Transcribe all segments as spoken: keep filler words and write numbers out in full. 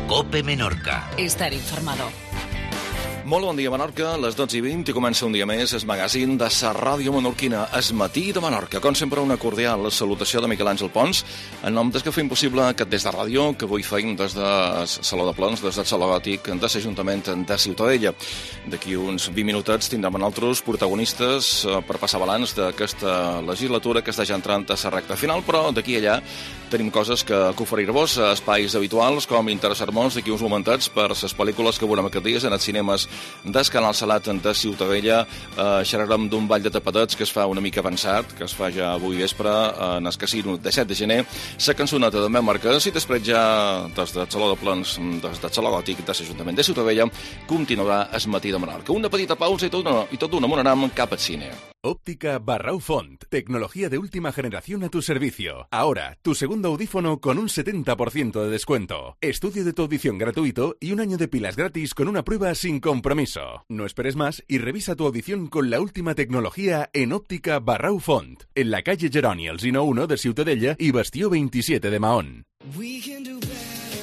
Cope Menorca. Estar informado. Molt bon dia, Menorca. A les dotze i vint i comença un dia més el magazín de la ràdio menorquina, Es matí de Menorca. Com sempre, una cordial salutació de Miquel Àngel Pons, en nom des que fem possible aquest des de ràdio, que avui feim des de Saló de Plens, des del Saló Gòtic de l'Ajuntament de Ciutadella. D'aquí uns vint minutets tindrem altres protagonistes per passar balanç d'aquesta legislatura que està ja entrant a la recta final, però d'aquí a allà tenim coses que, que oferir-vos, espais habituals, com interessar-nos d'aquí uns momentets per les pel·lícules que veurem aquests dies en els cinemes del Canal Salat de Ciutadella. Eh, xerrarem d'un ball de tapadets que es fa una mica avançat, que es fa ja avui vespre en el casino de set de gener, la cançoneta de Meu Marquès, i després ja des del Saló de Plens, des del Saló Gòtic de l'Ajuntament de Ciutadella, continuarà el matí de Menorca. Una petita pausa i tot d'una i tot d'una m'anarem cap al cine. Óptica Barrau Font, tecnología de última generación a tu servicio. Ahora, tu segundo audífono con un setenta por ciento de descuento. Estudio de tu audición gratuito y un año de pilas gratis con una prueba sin compromiso. No esperes más y revisa tu audición con la última tecnología en Óptica Barrau Font, en la calle Geroni, el Sino uno de Ciutadella y Bastió veintisiete de Mahón.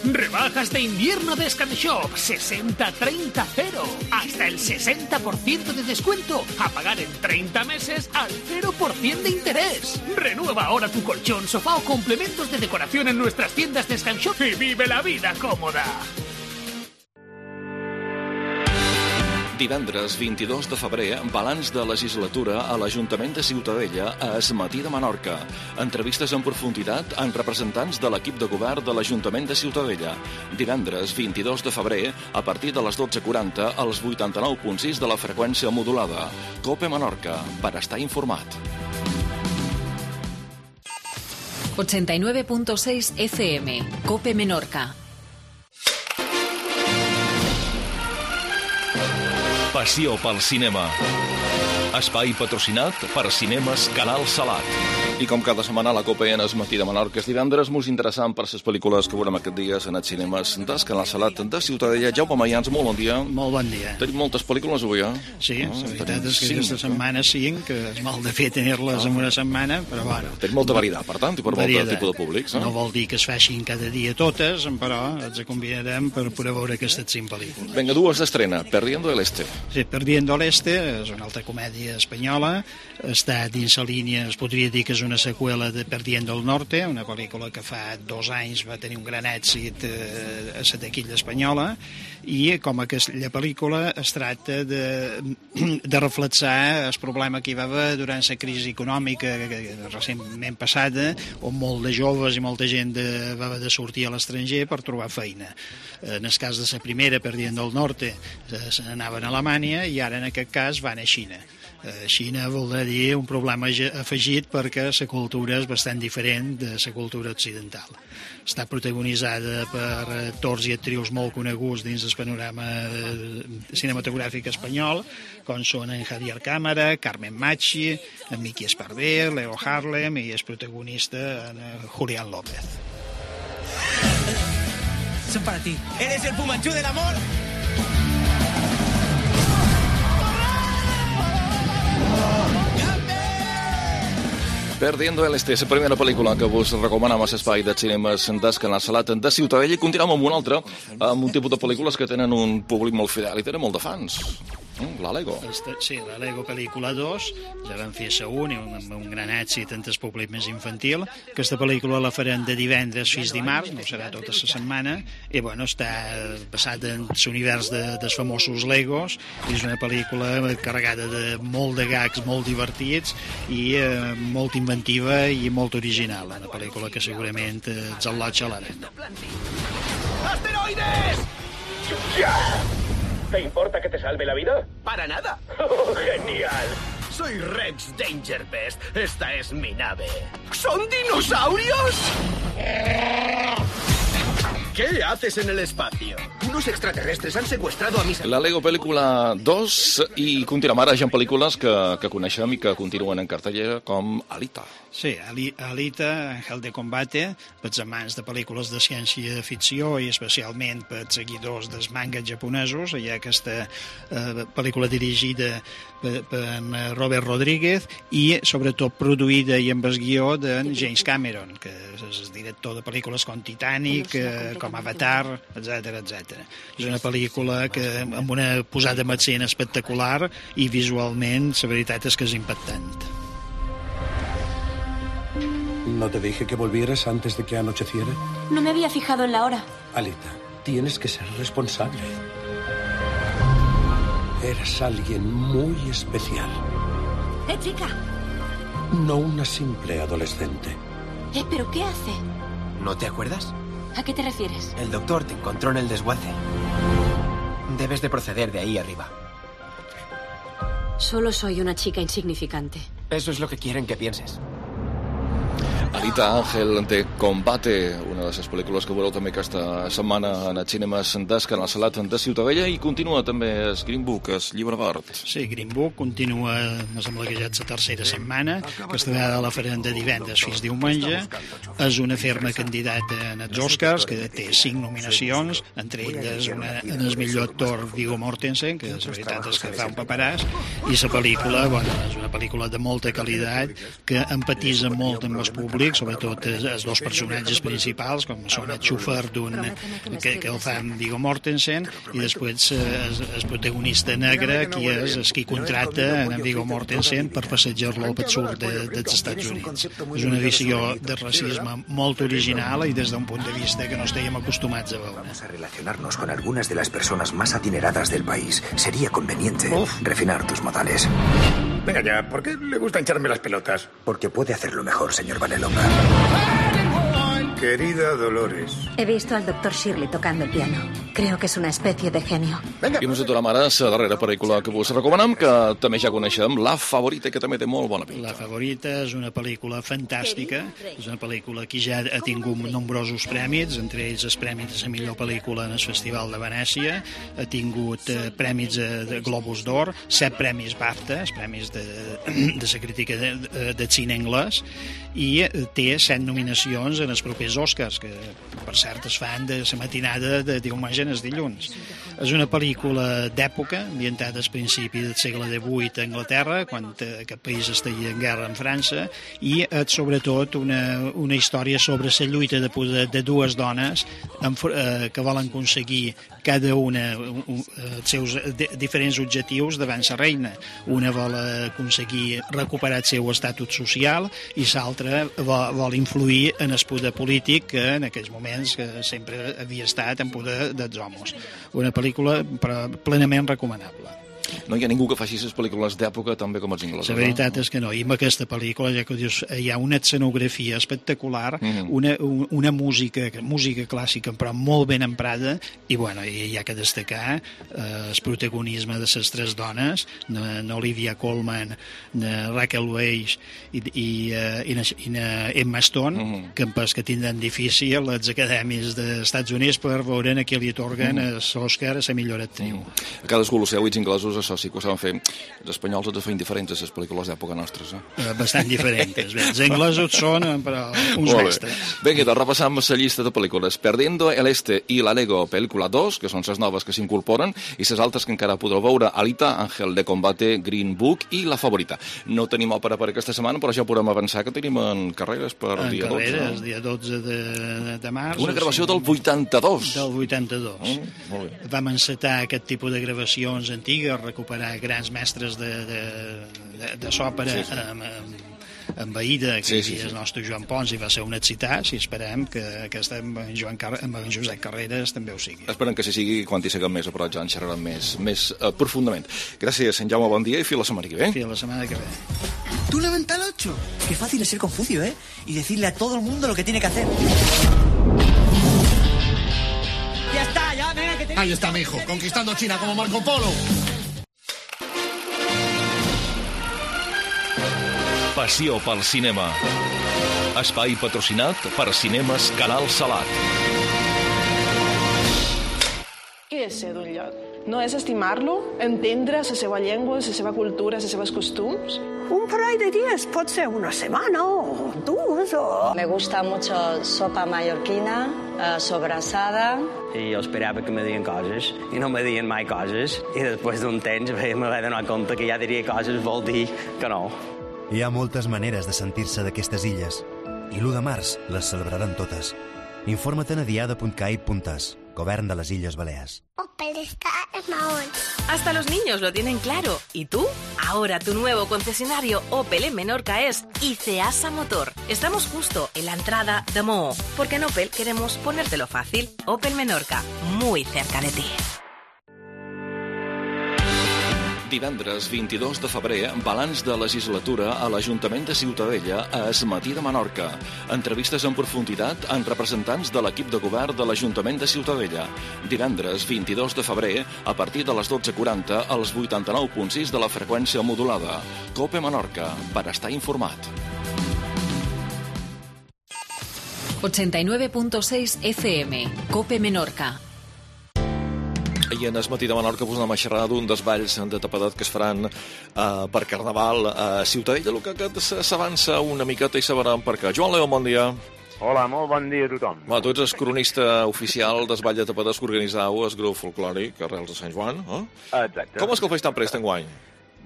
Rebajas de invierno de Scanshop, sesenta treinta cero. Hasta el sesenta por ciento de descuento. A pagar en treinta meses al cero por ciento de interés. Renueva ahora tu colchón, sofá o complementos de decoración en nuestras tiendas de Scanshop y vive la vida cómoda. Divendres vint-i-dos de febrer, balanç de legislatura a l'Ajuntament de Ciutadella a Es matí de Menorca. Entrevistes en profunditat amb representants de l'equip de govern de l'Ajuntament de Ciutadella. Divendres vint-i-dos de febrer, a partir de les dotze quaranta, als vuitanta-nou punt sis de la freqüència modulada. Cope Menorca, per estar informat. ochenta y nueve punto seis F M, Cope Menorca. Passió pel cinema. Espai patrocinat per Cinemes Canal Salat. I com cada setmana la Copa en Es matí de Menorca és divendres, molt interessant per les pel·lícules que veurem aquests dies en els cinemes del Canal Salat de Ciutadella. Jaume Mayans, molt bon dia. Molt bon dia. Tenim moltes pel·lícules avui, eh? Sí, ah, la veritat és que aquesta setmana cinc, que és mal de fer tenir-les ah. en una setmana, però bueno. Tenim molta varietat, per tant, i per molt tipus de públics. Eh? No vol dir que es facin cada dia totes, però ens combinarem per poder veure aquestes cinc pel·lícules. Vinga, dues d'estrena. Perdiendo el Este. Sí, Perdiendo el Este és una altra comèdia espanyola. Està dins la línia, es podria dir que és una seqüela de Perdiendo el Norte, una pel·lícula que fa dos anys va tenir un gran èxit eh, a la taquilla espanyola, i com aquella pel·lícula es tracta de, de reflexar el problema que hi va haver durant la crisi econòmica recentment passada, on molt de joves i molta gent de, va haver de sortir a l'estranger per trobar feina. En el cas de la primera, Perdiendo el Norte, se n'anaven a Alemanya, i ara en aquest cas van a Xina. Xina vol dir un problema afegit perquè la cultura és bastant diferent de la cultura occidental. Està protagonitzada per actors i actrius molt coneguts dins del panorama cinematogràfic espanyol, com són en Javier Cámara, Carmen Machi, en Miki Esparver, Leo Harlem, i és protagonista en Julián López. Son para ti. ¿Eres el Fumanchu del amor? Perdiendo el Este, la primera pel·lícula que vos recomanem a l'espai de cinemes del Canal Salat de Ciutadella, i continuem amb una altra, amb un tipus de pel·lícules que tenen un públic molt fidel i tenen molt de fans. La Lego. Sí, la Lego pel·lícula dos, ja vam fer la un, amb un gran èxit entre el públic més infantil. Aquesta pel·lícula la farem de divendres fins dimarts, no serà tota la setmana, i bueno, està basat en l'univers de, dels famosos Legos, i és una pel·lícula carregada de molt de gags molt divertits i eh, molt inventiva i molt original, una pel·lícula que segurament eh, ens al·lotja a l'arena. ¡Asteroides! ¡Ya! ¿Te importa que te salve la vida? ¡Para nada! Oh, ¡genial! Soy Rex Dangerbest. Esta es mi nave. ¿Son dinosaurios? ¿Qué haces en el espacio? Unos extraterrestres han secuestrado a mis... La Lego pel·lícula dos, i continuem ara ja en pel·lícules que, que coneixem i que continuen en cartellera, com Alita. Sí, Alita, Ángel de Combate, pels amants de pel·lícules de ciència-ficció i especialment pels seguidors dels mangas japonesos. Hi ha aquesta eh, pel·lícula dirigida per, per Robert Rodríguez i sobretot produïda i amb el guió de James Cameron, que és el director de pel·lícules com Titanic, eh, com Avatar, etcètera, etcètera. És una pel·lícula que amb una posada en escena espectacular i visualment la veritat és que és impactant. ¿No te dije que volvieras antes de que anocheciera? No me había fijado en la hora. Alita, tienes que ser responsable. Eres alguien muy especial. ¡Eh, chica! No una simple adolescente. ¿Eh, pero qué hace? ¿No te acuerdas? ¿A qué te refieres? El doctor te encontró en el desguace. Debes de proceder de ahí arriba. Solo soy una chica insignificante. Eso es lo que quieren que pienses. Alita Ángel de Combate, una de les pel·lícules que veureu també aquesta setmana en els cinemes del Canal Salat de Ciutadella, i continua també el Green Book, el llibre verd. Sí, Green Book continua, me sembla que ja és la tercera setmana, aquesta vegada la farem de divendres fins diumenge. És una ferma candidata en els Oscars, que té cinc nominacions, entre elles una, en el millor actor Viggo Mortensen, que la veritat és que fa un paperàs, i la pel·lícula, bueno, és una pel·lícula de molta qualitat, que empatitza molt amb el públic, sobretot els, els dos personatges principals, com són el xúfer d'un, que, que el fa en Viggo Mortensen, i després el, el protagonista negre, qui és el qui contracta en Viggo Mortensen per passejar-lo al sud de, dels Estats Units. És una visió de racisme molt original i des d'un punt de vista que no estàvem acostumats a veure. Vamos a relacionarnos con algunas de las personas más adineradas del país. Sería conveniente Uf. refinar tus modales. Venga ya, ¿por qué le gusta hincharme las pelotas? Porque puede hacerlo mejor, señor Vanellope. Querida Dolores. He visto al doctor Shirley tocando el piano. Creo que es una especie de genio. Venga. I nosaltres ara la darrera pel·lícula que vos recomanem, que també ja coneixem, La Favorita, que també té molt bona pinta. La Favorita és una pel·lícula fantàstica, és una pel·lícula que ja ha tingut nombrosos prèmits, entre ells els prèmits de la millor pel·lícula en el Festival de Venècia, ha tingut eh, prèmits de, de Globus d'Or, set premis BAFTA, els premis de, de la crítica de, de, de cine anglès, i té set nominacions en els propers Oscars, que per cert es fan de la matinada de diumenge en els dilluns. És una pel·lícula d'època, ambientada al principi del segle divuit a Anglaterra, quan aquest país estaria en guerra amb França, i és sobretot una, una història sobre la lluita de poder de dues dones amb, eh, que volen aconseguir cada una un, els seus de, diferents objectius davant la reina. Una vol aconseguir recuperar el seu estatus social i l'altra vol, vol influir en el poder polític que en aquells moments que sempre havia estat en poder dels homes. Una pel·lícula plenament recomanable. No hi ha ningú que faci les pel·lícules d'època tan bé com els inglesos. La veritat no? és que no. I amb aquesta pel·lícula, ja que dius, hi ha una escenografia espectacular, mm-hmm. una, una música, música clàssica, però molt ben emprada, i bueno, hi ha que destacar eh, el protagonisme de les tres dones, n'Olivia Colman, de Raquel Weisz i, i, i, i Emma Stone, mm-hmm. que en pas que tindran difícil els academis dels Estats Units per veure a qui li atorguen mm-hmm. l'Oscar a la millor actriu. Mm-hmm. A cadascú els seus inglesos això sí que ho saben fer. Els espanyols els feien diferents a les pel·lícules d'època nostres. Eh? Bastant diferents. Els anglesos són, però, uns mestres. Vinga, doncs repassam la llista de pel·lícules. Perdiendo el Este i la Lego pel·lícula dos, que són les noves que s'incorporen, i les altres que encara podreu veure: Alita, Ángel de Combate, Green Book i La Favorita. No tenim òpera per aquesta setmana, però ja podem avançar que tenim en carreres per en dia carreres, dotze. dia dotze de, de març. Una gravació del vuitanta-dos. Del vuitanta-dos. Mm, molt bé. Vam encetar aquest tipus de gravacions antigues, recuperar grans mestres de, de, de, de s'òpera sí, sí. amb, amb, amb Aida, que sí, sí, sí. el nostre Joan Pons, i va ser un excitat, i esperem que aquesta amb en, Joan Car amb en Josep Carreras també ho sigui. Esperem que si sigui quan hi siguem més a prop, ja en xerrarem més, més uh, profundament. Gràcies, en Jaume, bon dia i fins la setmana que ve. Fins la setmana que ve. Tú levanta el ocho. Qué fácil es ser Confucio, ¿eh? Y decirle a todo el mundo lo que tiene que hacer. Ya está, ya, venga, que te... Ahí está mi hijo, conquistando China como Marco Polo. Passió pel cinema. Espai patrocinat per Cinemes Canal Salat. Què és ser d'un lloc? No és estimar-lo, entendre la seva llengua, la seva cultura, les seves costums? Un parell de días, pot ser una semana o dos o... Me gusta mucho sopa mallorquina, eh, sobrassada. I jo esperava que me dien coses i no me dien mai coses i després d'un temps me vaig donar compte que ja diria coses vol dir que no. Hi ha moltes maneres de sentir-se d'aquestes illes i l'u de març les celebraran totes. Infórmate en diada punt cai punt es. Govern de les Illes Balears. Opel está en Mahón. Hasta los niños lo tienen claro. ¿Y tú? Ahora tu nuevo concesionario Opel en Menorca es Iceasa Motor. Estamos justo en la entrada de Moho, porque en Opel queremos ponértelo fácil. Opel Menorca, muy cerca de ti. Divendres vint-i-dos de febrer, balanç de legislatura a l'Ajuntament de Ciutadella a Es Matí de Menorca. Entrevistes en profunditat amb representants de l'equip de govern de l'Ajuntament de Ciutadella. Divendres vint-i-dos de febrer, a partir de les dotze quaranta, als vuitanta-nou punt sis de la freqüència modulada. COPE Menorca, per estar informat. ochenta y nueve punto seis F M, COPE Menorca. I en Es Matí de Menorca us anem a xerrar d'un dels balls de tapadet que es faran uh, per Carnaval a Ciutadella, el que, que s'avança una miqueta i sabrem per què. Joan Leó, bon dia. Hola, molt bon dia a tothom. Va, tu ets el cronista oficial del ball de tapadets que organitzau el grup folclòric Arrels de Sant Joan, eh? Exacte. Com és que el feis tan prest enguany?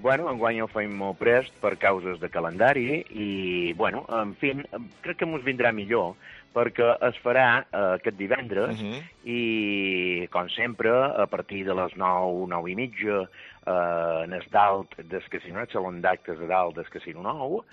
Bueno, enguany el feim molt prest per causes de calendari i, bueno, en fi, crec que ens vindrà millor perquè es farà uh, aquest divendres uh -huh. i, com sempre, a partir de les nou, nou i mitja, uh, en el dalt del Casino, el salon d'actes de dalt del Casino Nou,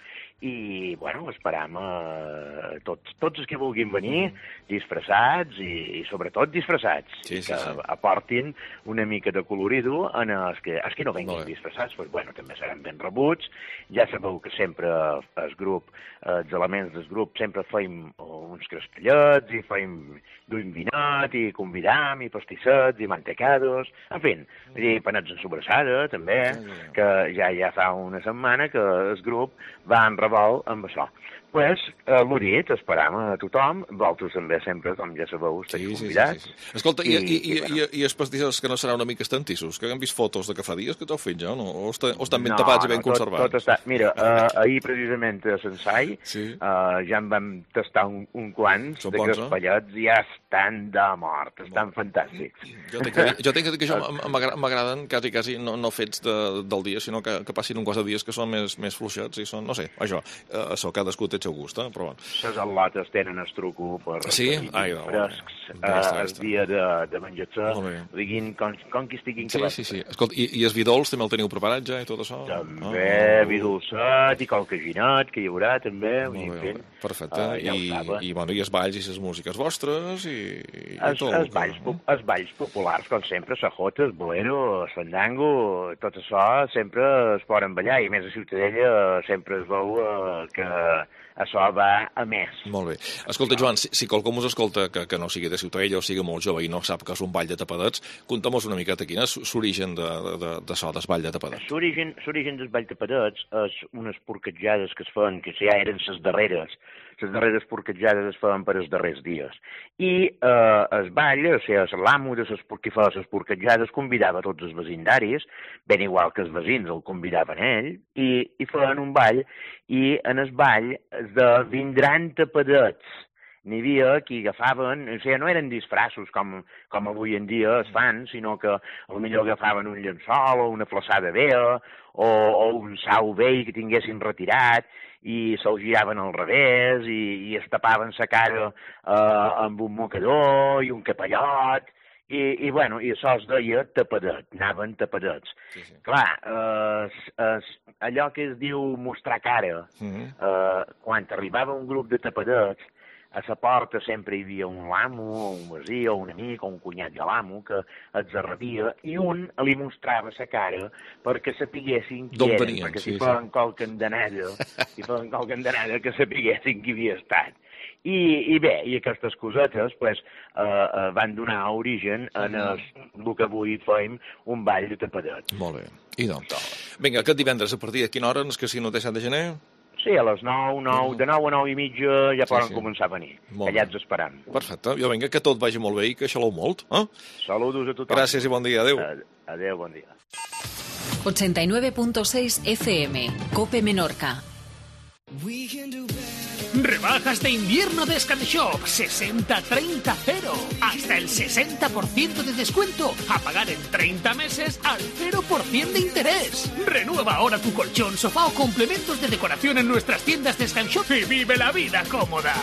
i, bueno, esperam uh, tots, tots els que vulguin venir disfressats i, i sobretot disfressats, sí, sí, que sí. aportin una mica de colorido en els que, els que no venguin disfressats, doncs, bueno, també seran ben rebuts. Ja sabeu que sempre el grup, els elements del grup, sempre feim uns crestellets i feim duim vinat i convidam i pastissets i mantecados, en fi, i panets en sobrassada, també, que ja ja fa una setmana que el grup va en revolt amb això. Pues, eh, l'ho dit, esperam a tothom, vosaltres també sempre, com ja sabeu, esteu sí, convidats. Sí, sí, sí. Escolta, i, i, i, i, bueno. i, i els pastissos que no seran una mica estantissos, que hem vist fotos de que fa dies que t'heu fet ja, no? O, està, o estan ben no, tapats i ben no, tot, conservats? Tot està... Mira, uh, ahir precisament a Sensai sí. uh, ja en vam tastar un, un quants Són de crespellets i ja estan de mort, estan fantàstics. Jo tinc que dir, jo tinc que, dir que això m'agraden quasi, quasi no, no fets de, del dia, sinó que, que passin un quants de dies que són més, més fluixets i són, no sé, això, uh, això cadascú té el seu gust, eh? Però bueno. Les al·lotes tenen el truco per sí? Ai, no, frescs eh, el dia de, de menjar-se, diguin com, com que estiguin sí, sí, sí. Escolta, i, i els vi dolç també el teniu preparat ja i tot això? També, oh, vi dolçat i qualcaginat que hi haurà també. Molt bé, perfecte. Uh, ja I, i, bueno, i els balls i les músiques vostres i, i es, tot. Els balls, els balls populars, com sempre, sajota, el bolero, el fandango, tot això sempre es poden ballar i més a Ciutadella sempre es veu uh, que això va a més. Molt bé. Escolta, Joan, si, si qualcú us escolta que, que no sigui de Ciutadella o sigui molt jove i no sap que és un ball de tapadets, conta'm-nos una miqueta quin és l'origen de, de, de, de so, del ball de tapadets. L'origen del ball de tapadets és unes porquetjades que es fan, que ja eren les darreres. Les darreres porquetjades es feien per els darrers dies. I eh, el ball, o sigui, l'amo de les que feia les porquetjades convidava tots els vecindaris, ben igual que els veïns el convidaven ell, i, i feien un ball, i en el ball de vindran tapadets. N'hi havia qui agafaven, o sigui, no eren disfraços com, com avui en dia es fan, sinó que potser agafaven un llençol o una flaçada vella o, o un sau vell que tinguessin retirat i se'l giraven al revés i, i es tapaven la cara eh, amb un mocador i un capellot i, i, bueno, i això es deia tapadet, anaven tapadets. Sí, sí. Clar, eh, es, allò que es diu mostrar cara, uh-huh. eh, quan arribava un grup de tapadets, a la porta sempre hi havia un amo, o un veí, o un amic, o un cunyat de l'amo, que els arrebia, i un li mostrava la cara perquè sapiguessin qui eren, venien, perquè si sí, feien sí. qualque endanada, si feien qualque endanada, que sapiguessin qui havia estat. I, i bé, i aquestes cosetes pues, eh, eh, van donar origen en el, el que avui feim un ball de tapadet. Molt bé. I doncs, vinga, aquest divendres, a partir de quina hora, en el Casino de Sant de Gener? Sí, a les nou, nou, de nou a nou i mitja ja sí, poden sí. començar a venir. Molt allà ens esperam. Perfecte. Jo vinga, que tot vagi molt bé i que xalou molt. Eh? Saludos a tothom. Gràcies i bon dia. Adéu. Adéu, bon dia. ochenta y nueve punto seis F M, COPE Menorca. Rebajas de invierno de Scanshop, sesenta treinta cero. Hasta el sesenta por ciento de descuento. A pagar en treinta meses al cero por ciento de interés. Renueva ahora tu colchón, sofá o complementos de decoración en nuestras tiendas de Scanshop y vive la vida cómoda.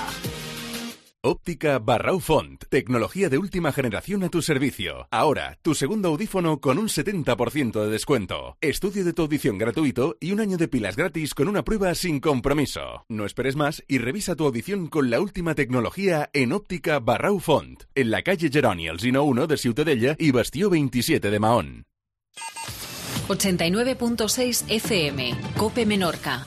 Óptica Barrau Font. Tecnología de última generación a tu servicio. Ahora, tu segundo audífono con un setenta por ciento de descuento. Estudio de tu audición gratuito y un año de pilas gratis con una prueba sin compromiso. No esperes más y revisa tu audición con la última tecnología en Óptica Barrau Font. En la calle Geroni Alsina uno de Ciutadella y Bastió veintisiete de Mahón. ochenta y nueve punto seis F M. Cope Menorca.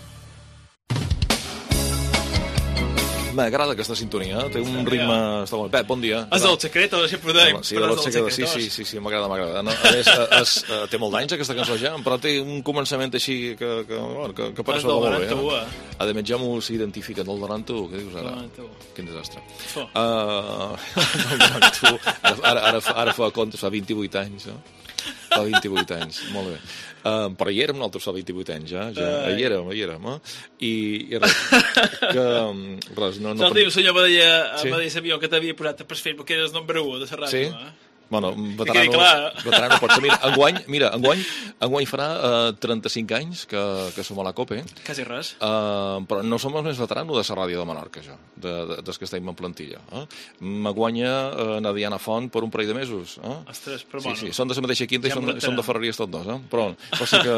M'agrada aquesta sintonia, té un ritme... Està molt... Pep, bon dia. És del secret, o sempre ho deim? Sí, del secret, sí, sí, sí, sí, m'agrada, m'agrada. No, a més, es, uh, té molt d'anys aquesta cançó ja, però té un començament així que, que, bueno, que, que per això va molt bé. Eh? A més, ja m'ho s'identifica, del noranta-u, què dius ara? Quin desastre. Uh, del noranta-u, ara, ara, ara fa comptes, fa vint-i-vuit anys, no? Fa vint-i-vuit anys, molt bé. Uh, però hi érem nosaltres fa vint-i-vuit anys, ja. ja. Hi érem, hi érem, eh? I, i res, que... Res, no, no... Se'l diu, senyor Badeia, sí? Badeia sabia que t'havia posat per Facebook, que eres nombre u de la ràdio, sí? eh? Bueno, veterano, veterano pot ser. Mira, enguany, mira, enguany, enguany farà uh, trenta-cinc anys que, que som a la COPE. Quasi res. Uh, però no som els més veteranos de la ràdio de Menorca, jo, de, de, des que estem en plantilla. Eh? Me guanya uh, na Diana Font per un parell de mesos. Eh? Ostres, però sí, bueno. Sí, són de la mateixa quinta ja i són, són de Ferreries tots dos, eh? Però, però sí que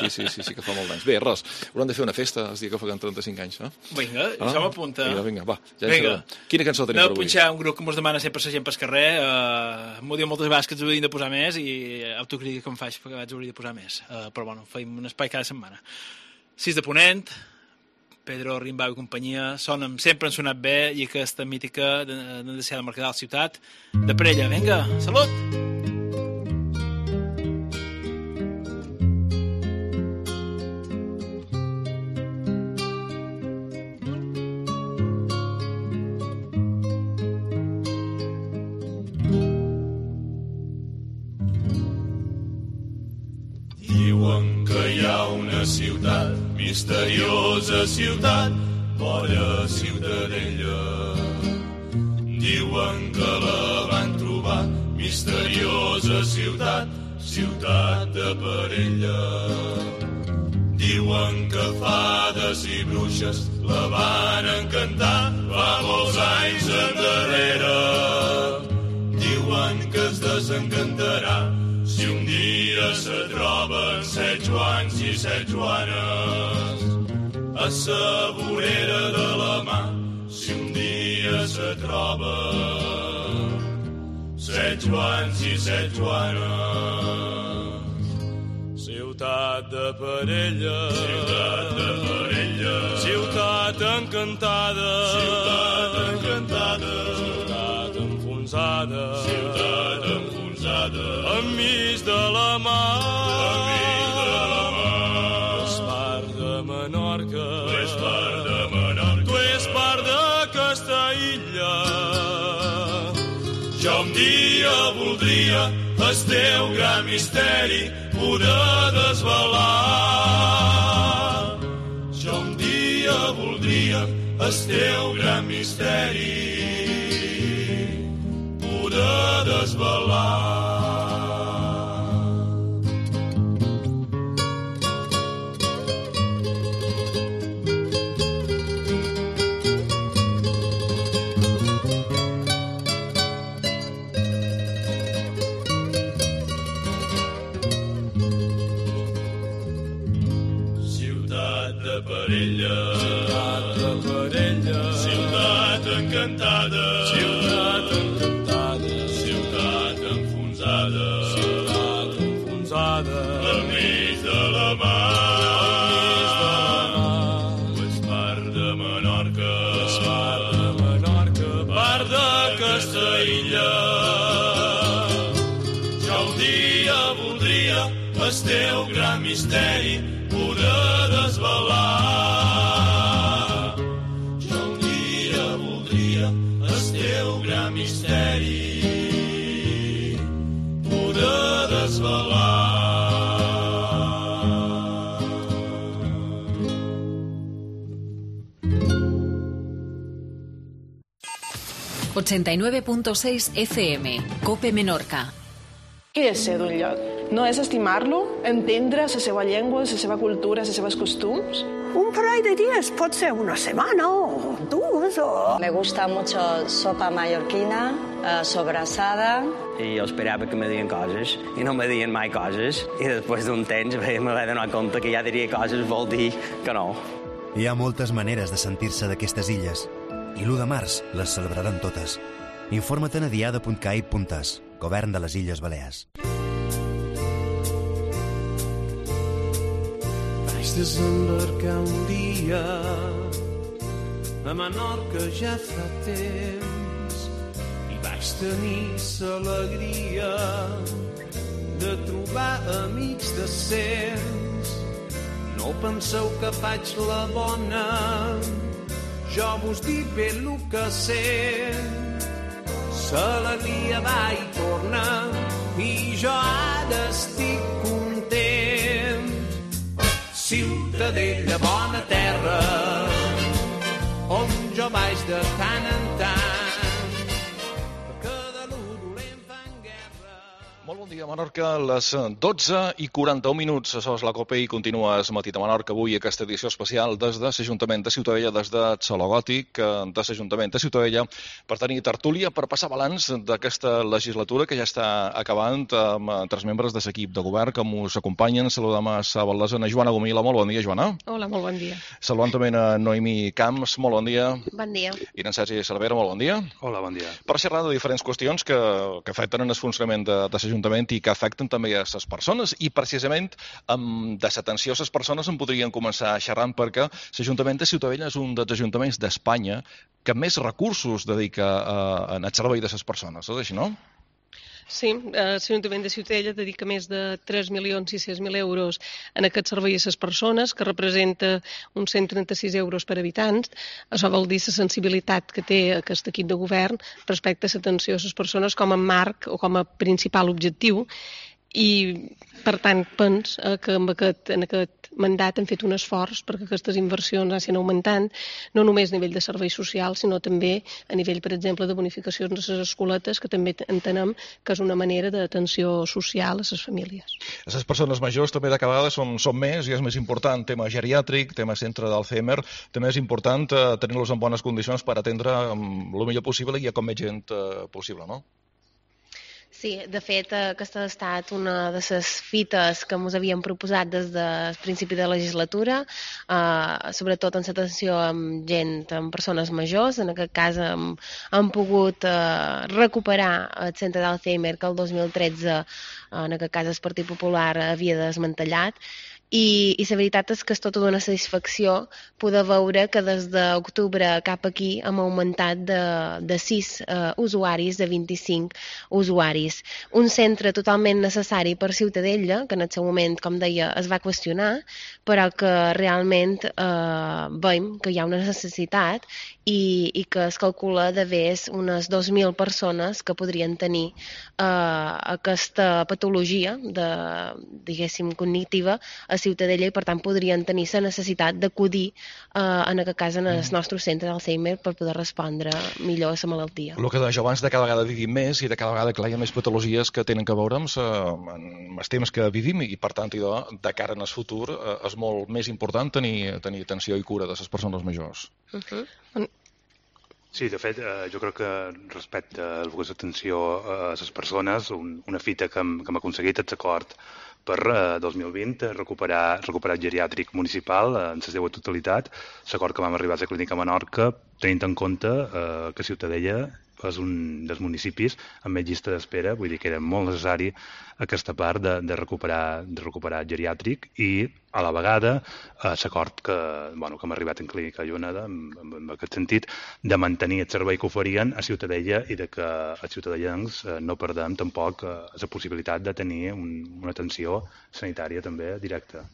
sí, sí, sí, sí que fa molt d'anys. Bé, res, haurem de fer una festa el dia que faran trenta-cinc anys. Eh? Vinga, ah? Això m'apunta. Vinga, vinga, va. Ja vinga. Quina cançó tenim per avui? Aneu a punxar un grup que mos demana sempre la gent pel carrer. Uh, m'ho diu moltes vegades que ens haurien de posar més i autocrítica que em faig perquè vaig hauria de posar més. Uh, però bueno, feim un espai cada setmana. sis de Ponent, Pedro Rimbau i companyia, sonen, sempre han sonat bé i aquesta mítica de, de, de ser de Mercadal Ciutat de Parella. Vinga, salut! Diuen que hi ha una ciutat, misteriosa ciutat, vora Ciutadella. Diuen que la van trobar, misteriosa ciutat, ciutat de Parella. Diuen que fades i bruixes la van encantar fa molts anys endarrere. Diuen que es desencantarà si un dia se troben set Joans i set Joanes a sa vorera de la mà. Si un dia se troben set Joans i set Joanes. Ciutat de Parella, ciutat de Parella, ciutat encantada, ciutat encantada, ciutat enfonsada, ciutat enfonsada, enmig de la mar, enmig de la mar. Tu és part de Menorca, tu és part de Menorca, tu és part d'aquesta illa. Jo un dia voldria el teu gran misteri poder desvelar. Jo un dia voldria el teu gran misteri poder desvelar. Parella, ciutat de Parella, ciutat encantada, ciutat encantada, ciutat enfonsada, ciutat enfonsada, enmig de la mar, enmig de la mar. Tu ets part de Menorca, tu ets part de Menorca, part d'aquesta illa. Jo un dia voldria el teu gran misteri poder desvelar. Jo un dia voldria el teu gran misteri poder desvelar. ochenta y nueve punto seis F M, Cope Menorca. Què és ser d'un lloc? No és estimar-lo, entendre la seva llengua, la seva cultura, les seves costums? Un parell de dies, pot ser una setmana o dues. eso? Me gusta mucho sopa mallorquina, eh, sobrassada. I jo esperava que me dien coses, i no me dien mai coses, i després d'un temps me vaig donar compte que ja diria coses vol dir que no. Hi ha moltes maneres de sentir-se d'aquestes illes, i l'u de març les celebraran totes. Informa-te'n a diada punt cai punt es, Govern de les Illes Balears. Vaig desembarcar un dia a Menorca ja fa temps i vaig tenir l'alegria de trobar amics decents. No penseu que faig la bona, jo vos dic bé el que sent. L'alegria va i torna i jo ara estic content. Ciutadella, bona terra, on jo vaig de tant en tant, perquè de l'u dolent fan guerra. Molt bon dia, Menorca, les dotze i quaranta-un minuts. Això és la COPE i continues Matí de Menorca. Avui aquesta edició especial des de l'Ajuntament de Ciutadella, des de Saló Gòtic, de l'Ajuntament de Ciutadella, per tenir tertúlia, per passar balanç d'aquesta legislatura que ja està acabant amb tres membres de l'equip de govern que us acompanyen. Saludem a la Valdesana Joana Gomila. Molt bon dia, Joana. Hola, molt bon dia. Saludem també a Noemi Camps. Molt bon dia. Bon dia. I en Sergi Cervera. Molt bon dia. Hola, bon dia. Per xerrar de diferents qüestions que, que afecten el funcionament de, de l'Ajuntament i que afecten també a les persones, i precisament amb de l'atenció a les persones en podríem començar xerrant, perquè l'Ajuntament de Ciutadella és un dels ajuntaments d'Espanya que més recursos dedica a, a el servei de les persones, és així, no? Sí, l'Ajuntament de Ciutadella dedica més de tres milions sis-cents mil euros en aquest servei a les persones, que representa uns cent trenta-sis euros per habitants. Això vol dir la sensibilitat que té aquest equip de govern respecte a l'atenció a les persones com a marc o com a principal objectiu. I, per tant, pens que en aquest, en aquest mandat hem fet un esforç perquè aquestes inversions anessin augmentant, no només a nivell de serveis socials, sinó també a nivell, per exemple, de bonificacions de les escoletes, que també entenem que és una manera d'atenció social a les famílies. Les persones majors també de cada vegada són, són més, i és més important tema geriàtric, tema centre d'Alzheimer, també és important eh, tenir-los en bones condicions per atendre el millor possible i a com més gent eh, possible, no? Sí, de fet, aquesta ha estat una de les fites que ens havíem proposat des del principi de la legislatura, eh, sobretot en l'atenció amb gent, amb persones majors. En aquest cas hem, hem pogut eh, recuperar el centre d'Alzheimer que el dos mil tretze, eh, en aquest cas el Partit Popular, havia desmantellat. I, i la veritat és que és tota una satisfacció poder veure que des d'octubre cap aquí hem augmentat de, de sis uh, usuaris a vint-i-cinc usuaris. Un centre totalment necessari per Ciutadella, que en el seu moment, com deia, es va qüestionar, però que realment eh, veiem que hi ha una necessitat i, i que es calcula d'haver unes dos mil persones que podrien tenir eh, aquesta patologia de, diguéssim, cognitiva a Ciutadella, i per tant podrien tenir la necessitat d'acudir eh, en aquest cas en el nostre centre d'Alzheimer per poder respondre millor a la malaltia. El que deia abans, de cada vegada vivim més i de cada vegada clar, hi ha més patologies que tenen que veure amb, amb els temps que vivim, i per tant idò, de cara en el futur eh, és molt més important tenir, tenir atenció i cura de les persones majors. Uh-huh. Sí, de fet, eh, jo crec que respecte a l'atenció a les persones, un, una fita que hem, que hem aconseguit és l'acord per eh, dos mil vint recuperar, recuperar el geriàtric municipal eh, en la seva totalitat, l'acord que vam arribar a la Clínica Menorca, tenint en compte eh, que Ciutadella és un dels municipis amb més llista d'espera, vull dir que era molt necessari aquesta part de, de, recuperar, de recuperar el geriàtric, i a la vegada eh, l'acord que, bueno, que hem arribat en Clínica Lleonada, en, en aquest sentit, de mantenir el servei que oferien a Ciutadella i de que els ciutadans eh, no perdem tampoc eh, la possibilitat de tenir un, una atenció sanitària també directa.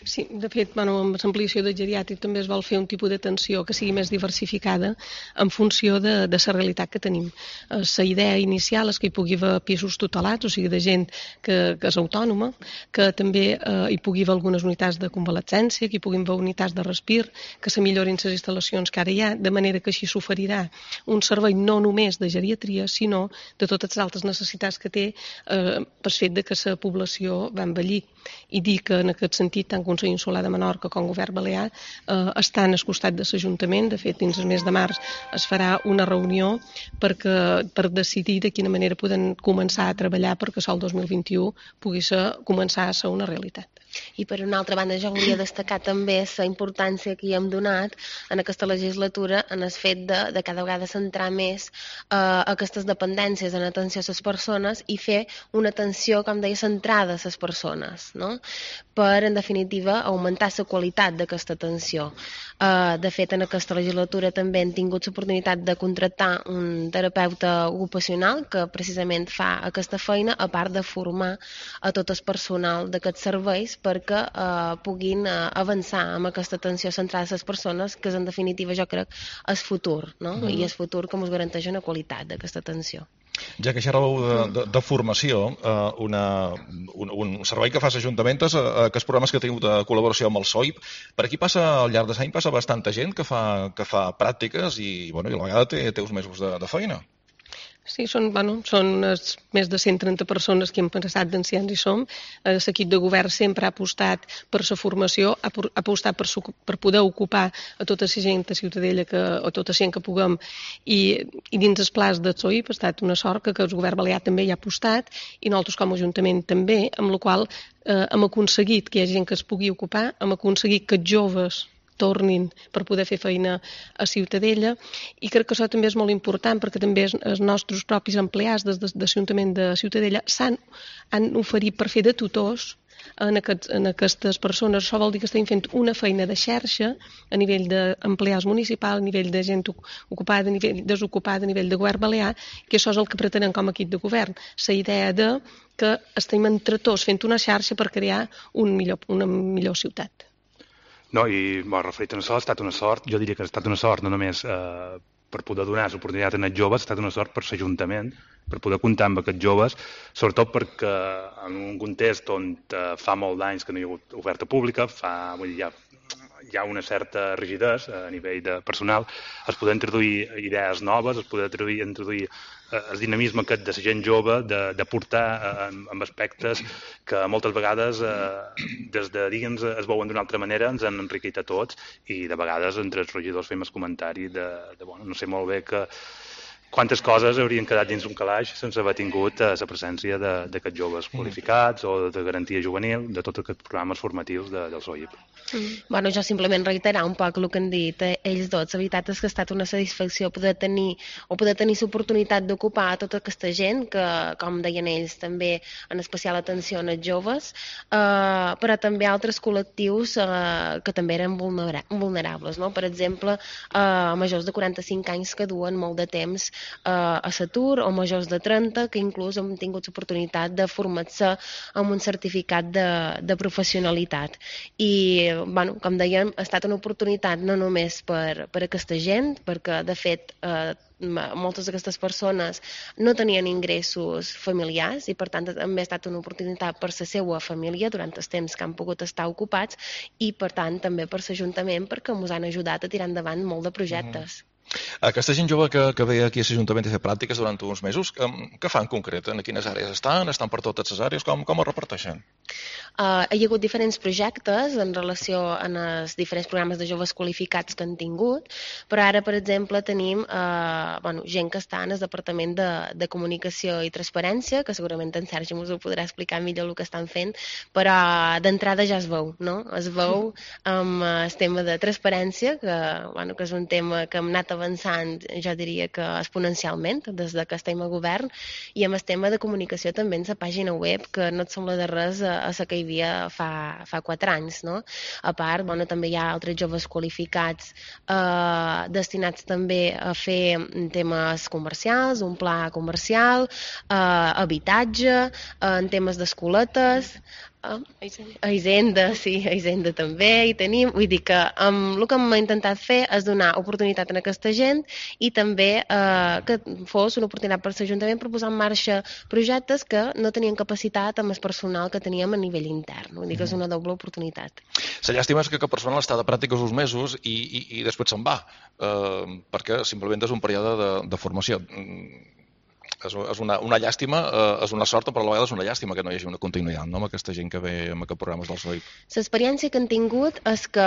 Sí, de fet, bueno, amb l'ampliació del geriàtric també es vol fer un tipus d'atenció que sigui més diversificada en funció de, de la realitat que tenim. La eh, idea inicial és que hi pugui haver pisos tutelats, o sigui, de gent que, que és autònoma, que també eh, hi pugui haver algunes unitats de convalescència, que hi puguin haver unitats de respir, que se millorin les instal·lacions que ara hi ha, de manera que així s'oferirà un servei no només de geriatria, sinó de totes les altres necessitats que té eh, per fet de que la població va envellir. i dir que en aquest sentit tant Consell Insular de Menorca com Govern Balear eh, estan al costat de l'Ajuntament. De fet, dins el mes de març es farà una reunió perquè, per decidir de quina manera podem començar a treballar perquè el dos mil vint-i-u pugui ser, començar a ser una realitat. I per una altra banda jo volia destacar també la importància que hi hem donat en aquesta legislatura en el fet de, de cada vegada centrar més eh, aquestes dependències en atenció a les persones i fer una atenció, com deia, centrada a les persones, no? Per, en definitiva, augmentar la qualitat d'aquesta atenció. Uh, de fet, en aquesta legislatura també hem tingut l'oportunitat de contractar un terapeuta ocupacional que precisament fa aquesta feina, a part de formar a tot el personal d'aquests serveis perquè uh, puguin uh, avançar amb aquesta atenció centrada a les persones, que és, en definitiva, jo crec, el futur, no? Mm. I el futur que ens garanteix una qualitat d'aquesta atenció. Ja que xerràveu de, de, de formació, eh, una, un, un servei que fa l'Ajuntament és eh, aquests programes que teniu de col·laboració amb el S O I P. Per aquí passa, al llarg de l'any, passa bastanta gent que fa, que fa pràctiques i, bueno, i a la vegada té, té uns mesos de, de feina. Sí, són, bueno, són més de cent trenta persones que hem passat d'ancians i som. L'equip de govern sempre ha apostat per la formació, ha apostat per, per poder ocupar a tota la gent de Ciutadella, que, o tota la gent que puguem, i, i dins els plans del S O I P ha estat una sort que, que el govern balear també hi ha apostat, i nosaltres com a Ajuntament també, amb la qual eh, hem aconseguit que hi hagi gent que es pugui ocupar, hem aconseguit que els joves tornin per poder fer feina a Ciutadella, i crec que això també és molt important perquè també els nostres propis empleats des de l'Ajuntament de Ciutadella s'han han oferit per fer de tutors en, aquests, en aquestes persones. Això vol dir que estem fent una feina de xarxa a nivell d'empleats municipals, a nivell de gent ocupada, a nivell desocupada, a nivell de govern balear, que això és el que pretenem com a equip de govern. La idea de que estem entre tots fent una xarxa per crear un millor, una millor ciutat. No, i bueno, referit a això, ha estat una sort, jo diria que ha estat una sort no només eh, per poder donar l'oportunitat als joves, ha estat una sort per l'Ajuntament, per poder comptar amb aquests joves, sobretot perquè en un context on eh, fa molt d'anys que no hi ha hagut oferta pública, fa, vull dir, hi ha, hi ha una certa rigidesa a nivell de personal, es poden introduir idees noves, es poden introduir, introduir el dinamisme aquest de la gent jove, de, de portar eh, amb aspectes que moltes vegades eh, des de dins es veuen d'una altra manera, ens han enriquit a tots, i de vegades entre els regidors fem el comentari de, de bueno, no sé molt bé que quantes coses haurien quedat dins un calaix sense haver tingut eh, la presència d'aquests joves qualificats o de garantia juvenil, de tots aquests programes formatius de, del S O I P. Mm. Bueno, jo simplement reiterar un poc el que han dit eh, ells dos. La veritat és que ha estat una satisfacció poder tenir o poder tenir l'oportunitat d'ocupar a tota aquesta gent que, com deien ells, també en especial atenció als joves, eh, però també altres col·lectius eh, que també eren vulnera vulnerables, no? Per exemple, eh, majors de quaranta-cinc anys que duen molt de temps eh, a l'atur, o majors de trenta que inclús hem tingut l'oportunitat de formar-se amb un certificat de, de professionalitat. I bueno, com dèiem, ha estat una oportunitat no només per, per aquesta gent, perquè de fet eh, moltes d'aquestes persones no tenien ingressos familiars i per tant també ha estat una oportunitat per la seva família durant el temps que han pogut estar ocupats i per tant també per l'Ajuntament perquè ens han ajudat a tirar endavant molt de projectes. Mm. Aquesta gent jove que, que ve aquí a l'Ajuntament a fer pràctiques durant uns mesos, què, què fan en concret? En quines àrees estan? Estan per totes les àrees? Com, com ho reparteixen? Uh, hi ha hagut diferents projectes en relació amb els diferents programes de joves qualificats que han tingut, però ara, per exemple, tenim uh, bueno, gent que està en el Departament de, de Comunicació i Transparència, que segurament en Sergi us ho podrà explicar millor el que estan fent, però d'entrada ja es veu, no? Es veu amb el tema de transparència, que, bueno, que és un tema que hem anat avançant, jo diria que exponencialment, des de que estem a govern, i amb el tema de comunicació també en la pàgina web, que no et sembla de res a, a la que hi havia fa, fa quatre anys, no? A part, bueno, també hi ha altres joves qualificats eh, destinats també a fer temes comercials, un pla comercial, eh, habitatge, eh, en temes d'escoletes, Ah, a Hisenda, sí, a Hisenda també hi tenim, vull dir que um, el que hem intentat fer és donar oportunitat a aquesta gent i també eh, que fos una oportunitat per l'Ajuntament per posar en marxa projectes que no tenien capacitat amb el personal que teníem a nivell intern, vull dir que és una doble oportunitat. La llàstima és que el personal està de pràctiques uns mesos i, i, i després se'n va, eh, perquè simplement és un període de, de formació. és, és una, una llàstima, eh, és una sort, però a la vegada és una llàstima que no hi hagi una continuïtat, no?, amb aquesta gent que ve amb aquests programes del S O I P. L'experiència que han tingut és que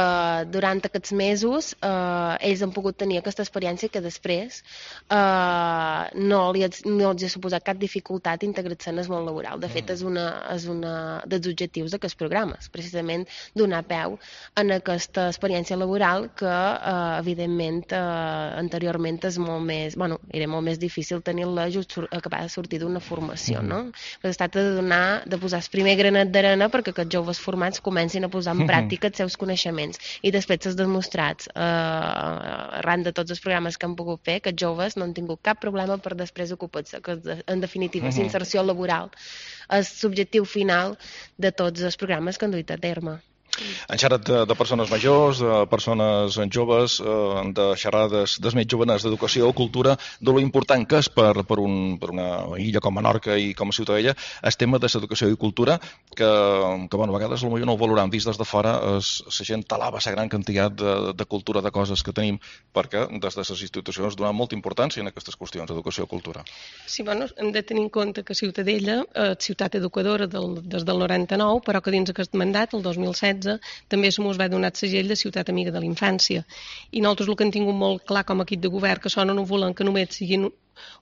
durant aquests mesos eh, ells han pogut tenir aquesta experiència que després eh, no, li, no els ha suposat cap dificultat integrar-se en el món laboral. De fet, és una, és una dels objectius d'aquests programes, precisament donar peu en aquesta experiència laboral que, eh, evidentment, eh, anteriorment és molt més, bueno, era molt més difícil tenir-la just acabar de sortir d'una formació, no? Però es tracta de donar, de posar el primer granet d'arena perquè aquests joves formats comencin a posar en pràctica els seus coneixements i després s'ha demostrat eh, arran de tots els programes que han pogut fer que els joves no han tingut cap problema per després ocupar-se, que en definitiva la inserció laboral és l'objectiu final de tots els programes que han duit a terme. Han xerrat de, de persones majors, de persones joves, eh, de xerrades dels més joveners d'educació o cultura, de lo important que és per, per, un, per una illa com Menorca i com a Ciutadella el tema de l'educació i cultura, que, que bueno, a vegades potser no ho valoram vist des de fora, es, la gent talava la gran quantitat de, de cultura, de coses que tenim, perquè des de les institucions donen molta importància en aquestes qüestions d'educació i cultura. Sí, bueno, hem de tenir en compte que Ciutadella és ciutat educadora del, des del noranta-nou, però que dins aquest mandat, el dos mil setze, també se mos va donar el segell de ciutat amiga de la infància. I nosaltres el que hem tingut molt clar com a equip de govern, que això no volem que només siguin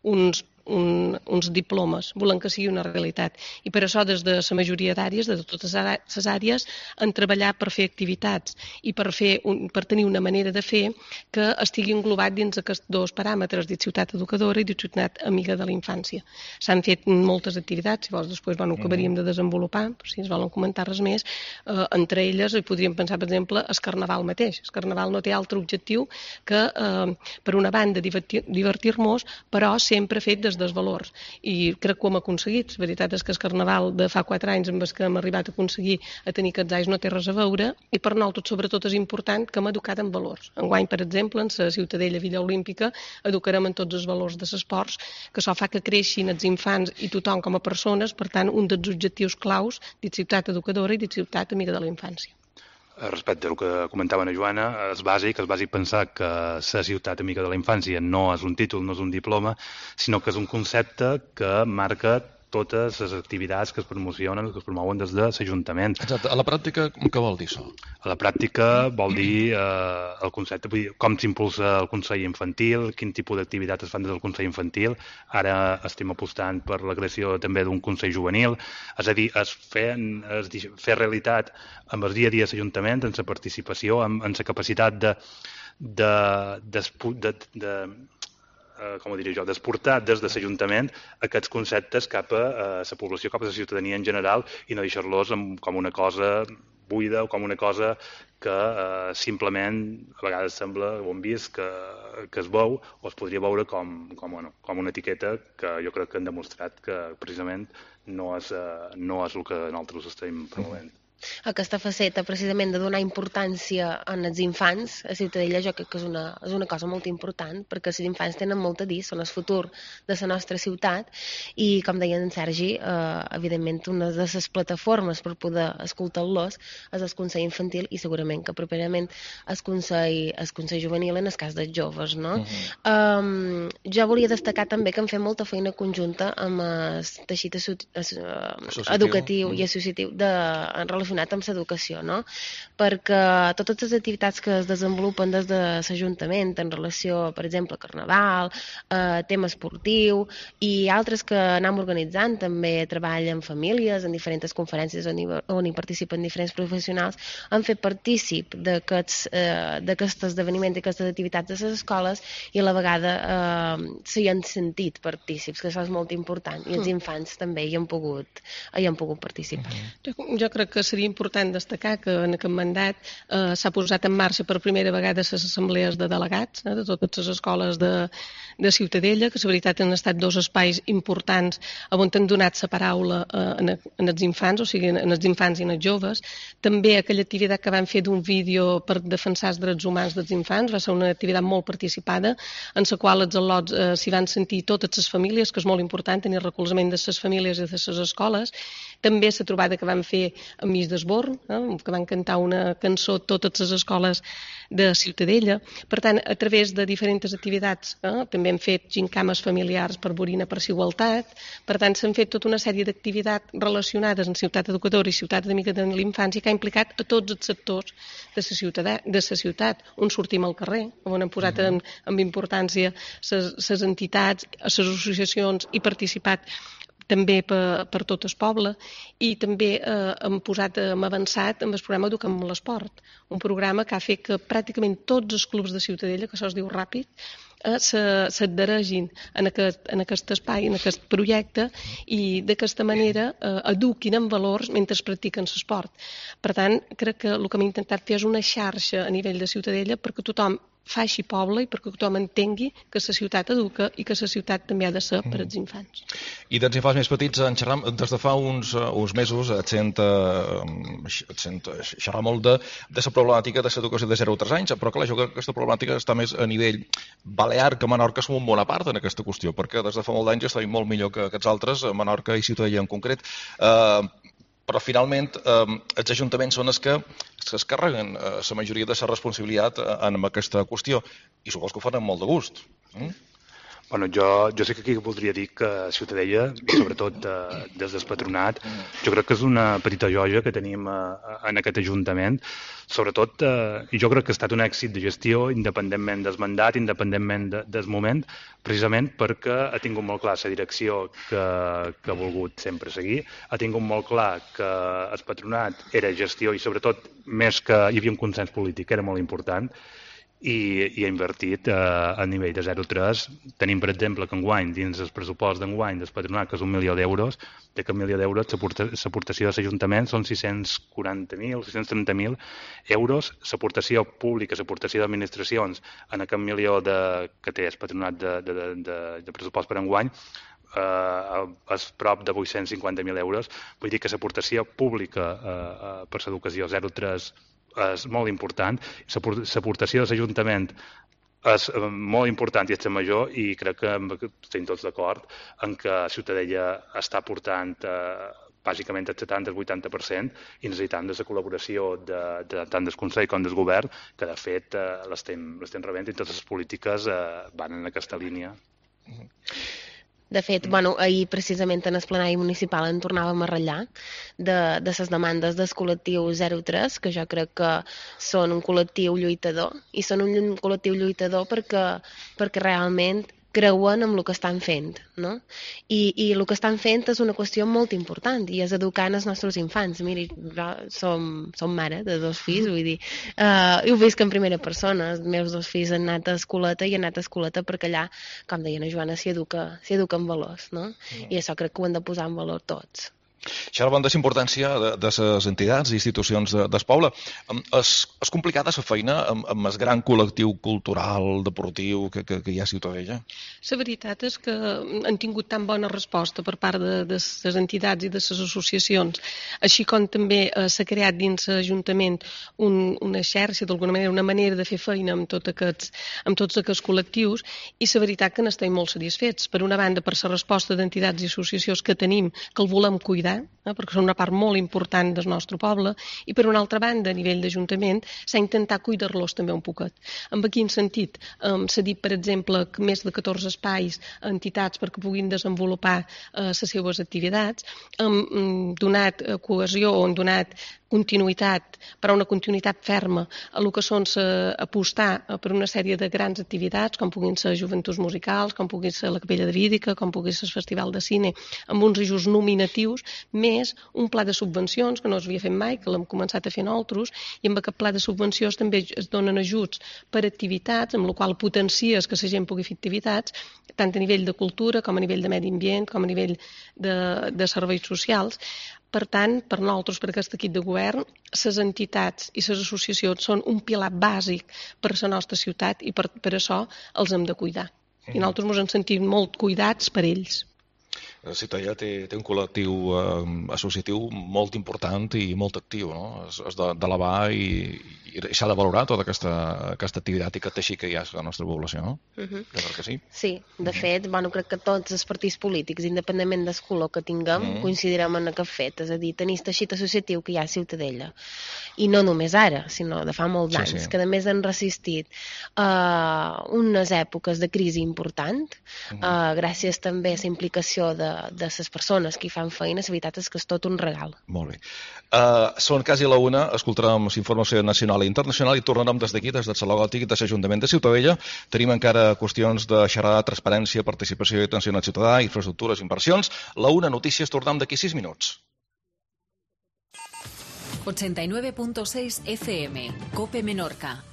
uns Un, uns diplomes, volem que sigui una realitat. I per això des de la majoria d'àrees, de totes les àrees, han treballat per fer activitats i per, fer un, per tenir una manera de fer que estigui englobat dins aquests dos paràmetres, de ciutat educadora i de ciutat amiga de la infància. S'han fet moltes activitats, si vols després bueno, acabaríem de desenvolupar, per si ens volen comentar res més, eh, entre elles hi podríem pensar, per exemple, el Carnaval mateix. El Carnaval no té altre objectiu que, eh, per una banda, divertir, divertir-nos, però sempre fet des dels valors, i crec que ho hem aconseguit. La veritat és que el Carnaval de fa quatre anys amb el que hem arribat a aconseguir a tenir aquests anys no té res a veure, i per nosaltres sobretot és important que hem educat en valors. Enguany, per exemple, en la Ciutadella Villa Olímpica educarem en tots els valors de l'esport, que això fa que creixin els infants i tothom com a persones, per tant, un dels objectius claus de ciutat educadora i de ciutat amiga de la infància. Respecte al que comentava la Joana, és bàsic, és bàsic pensar que la ciutat amiga de la infància no és un títol, no és un diploma, sinó que és un concepte que marca totes les activitats que es promocionen, que es promouen des de l'Ajuntament. Exacte. A la pràctica, què vol dir això? A la pràctica vol dir eh, el concepte, vull dir, com s'impulsa el Consell Infantil, quin tipus d'activitats es fan des del Consell Infantil. Ara estem apostant per la creació també d'un Consell Juvenil, és a dir, es fer, es fer realitat amb el dia a dia de l'Ajuntament, en la participació, en, en la capacitat de, de, de, de, de Uh, com ho diré jo, d'exportar des de l'Ajuntament aquests conceptes cap a uh, la població, cap a la ciutadania en general, i no deixar-los com una cosa buida o com una cosa que uh, simplement a vegades sembla, ho hem vist, que, que es veu o es podria veure com, com, bueno, com una etiqueta que jo crec que han demostrat que precisament no és, uh, no és el que nosaltres estem promovent. Aquesta faceta, precisament, de donar importància als infants, a Ciutadella, jo crec que és una, és una cosa molt important, perquè els infants tenen molt a dir, són el futur de la nostra ciutat, i, com deia en Sergi, eh, evidentment, una de les plataformes per poder escoltar-los és el Consell Infantil i segurament que properament el Consell, el Consell Juvenil en el cas dels joves, no? Uh-huh. um, jo volia destacar també que hem fet molta feina conjunta amb el teixit educatiu uh, i associatiu de, en relació amb l'educació, no? Perquè totes les activitats que es desenvolupen des de l'Ajuntament en relació, per exemple, Carnaval, eh, tema esportiu i altres que anem organitzant, també treball en famílies, en diferents conferències on hi, on hi participen diferents professionals, han fet partícip d'aquests eh, esdeveniments i aquestes activitats de les escoles i a la vegada eh, s'hi han sentit partícips, que això és molt important, i els infants també hi han pogut, hi han pogut participar. Jo, jo crec que seria important destacar que en aquest mandat eh, s'ha posat en marxa per primera vegada les assemblees de delegats eh, de totes les escoles de, de Ciutadella, que la veritat han estat dos espais importants on han donat la paraula eh, en, en els infants, o sigui, en els infants i en els joves. També aquella activitat que van fer d'un vídeo per defensar els drets humans dels infants va ser una activitat molt participada, en la qual els al·lots eh, s'hi van sentir totes les famílies, que és molt important tenir recolzament de les famílies i de les escoles, També la trobada que vam fer amb Miss d'Esborn, eh, que van cantar una cançó totes les escoles de Ciutadella. Per tant, a través de diferents activitats, eh, també hem fet gincames familiars per Borina per Igualtat. Per tant, s'han fet tota una sèrie d'activitats relacionades amb Ciutat Educadora i Ciutat Amiga de l'Infància que ha implicat a tots els sectors de la ciutat, de la ciutat on sortim al carrer, on hem posat en, amb importància les entitats, les associacions i participat també per, per tot el poble, i també eh, hem posat, hem avançat amb el programa Educa'm l'Esport, un programa que ha fet que pràcticament tots els clubs de Ciutadella, que això es diu ràpid, eh, s'adheregin en, aquest, en aquest espai, en aquest projecte, i d'aquesta manera eh, eduquin en valors mentre practiquen l'esport. Per tant, crec que el que hem intentat fer és una xarxa a nivell de Ciutadella perquè tothom faci poble i perquè tothom entengui que la ciutat educa i que la ciutat també ha de ser per als infants. I dels infants més petits, en xerram, des de fa uns, uns mesos et sent, et sent xerrar molt de, de la problemàtica de l'educació de zero a tres anys, però clar, jo crec que aquesta problemàtica està més a nivell balear que a Menorca som un bona part en aquesta qüestió, perquè des de fa molt d'anys estem molt millor que aquests altres, a Menorca i Ciutadella en concret. Eh, però finalment eh, els ajuntaments són els que, els que es carreguen eh, la majoria de la responsabilitat en aquesta qüestió, i suposo que ho fan amb molt de gust. Mm? Bueno, jo, jo sé que aquí voldria dir que Ciutadella, sobretot eh, des del patronat, jo crec que és una petita joia que tenim eh, en aquest ajuntament, sobretot, eh, i jo crec que ha estat un èxit de gestió independentment del mandat, independentment de, del moment, precisament perquè ha tingut molt clar la direcció que, que ha volgut sempre seguir, ha tingut molt clar que el patronat era gestió i sobretot més que hi havia un consens polític, era molt important, i, i ha invertit eh, a nivell de zero coma tres. Tenim, per exemple, que enguany, dins el pressupost d'enguany del patronat, que és un milió d'euros, d'aquest milió d'euros l'aportació de l'Ajuntament són sis-cents quaranta mil, sis-cents trenta mil euros, l'aportació pública, l'aportació d'administracions en aquest milió de, que té el patronat de, de, de, de, de pressupost per enguany, eh, és prop de vuit-cents cinquanta mil euros. Vull dir que l'aportació pública eh, per l'educació zero coma tres és molt important, l'aportació de l'Ajuntament és molt important i és major, i crec que estem tots d'acord en que Ciutadella està portant eh, bàsicament el setanta al vuitanta per cent i necessitant de la col·laboració de, de, tant del Consell com del Govern, que de fet eh, l'estem rebent i totes les polítiques eh, van en aquesta línia. De fet, bueno, ahir precisament en el plenari municipal en tornàvem a ratllar de, de les demandes del col·lectiu zero tres, que jo crec que són un col·lectiu lluitador, i són un col·lectiu lluitador perquè, perquè realment creuen en el que estan fent, no? I, i el que estan fent és una qüestió molt important, i és educant els nostres infants. Miri, som, som mare de dos fills, vull dir, uh, ho visc en primera persona. Els meus dos fills han anat a escoleta i han anat a escoleta perquè allà, com deia la Joana, s'hi educa, s'hi educa en valors, no? Mm. I això crec que ho hem de posar en valor tots. Xerraven de la importància de, de les entitats i institucions de, del poble. És, és complicada la feina amb, amb el gran col·lectiu cultural, deportiu que, que, que hi ha a Ciutadella? La veritat és que han tingut tan bona resposta per part de, de les entitats i de les associacions, així com també eh, s'ha creat dins l'Ajuntament un, una xarxa, d'alguna manera, una manera de fer feina amb, tot aquests, amb tots aquests col·lectius, i la veritat que n'estem molt satisfets. Per una banda, per la resposta d'entitats i associacions que tenim, que el volem cuidar, Eh, perquè són una part molt important del nostre poble, i per una altra banda, a nivell d'Ajuntament, s'ha intentat cuidar-los també un poquet. En quin sentit? Um, s'ha dit, per exemple, que més de catorze espais a entitats perquè puguin desenvolupar uh, les seves activitats, hem um, donat uh, cohesió o hem donat continuïtat, però una continuïtat ferma a el que són uh, apostar uh, per una sèrie de grans activitats, com puguin ser joventuts musicals, com pugui ser la Capella de Vídica, com pugui ser el Festival de Cine, amb uns ajuts nominatius, més un pla de subvencions, que no s'havia fet mai, que l'hem començat a fer nosaltres, i amb aquest pla de subvencions també es donen ajuts per activitats, amb la qual potencies que la gent pugui fer activitats, tant a nivell de cultura, com a nivell de medi ambient, com a nivell de, de serveis socials. Per tant, per nosaltres, per aquest equip de govern, les entitats i les associacions són un pilar bàsic per a la nostra ciutat, i per, per això els hem de cuidar. I nosaltres ens hem sentit molt cuidats per ells. Ciutadella té, té un col·lectiu eh, associatiu molt important i molt actiu, no? És, és d'elevar i, i s'ha de valorar tota aquesta, aquesta activitat i aquest teixit que hi ha a la nostra població, no? Uh -huh. Jo crec que sí. Sí, de fet, bueno, crec que tots els partits polítics, independentment del color que tinguem, mm. coincidirem en aquest fet, és a dir, tenir el teixit associatiu que hi ha a Ciutadella. I no només ara, sinó de fa molts Sí, anys, sí. que a més han resistit a unes èpoques de crisi important, Mhm. uh, gràcies també a la implicació de, de les persones que hi fan feina. La veritat és que és tot un regal. Molt bé. Uh, són quasi la una, escoltarem informació nacional i internacional i tornarem des d'aquí, des del Saló Gòtic de l'Ajuntament de Ciutadella. Tenim encara qüestions de xerrar, transparència, participació i atenció al ciutadà, infraestructures, inversions. La una, notícies, tornem d'aquí sis minuts. ochenta y nueve punto seis F M, COPE Menorca.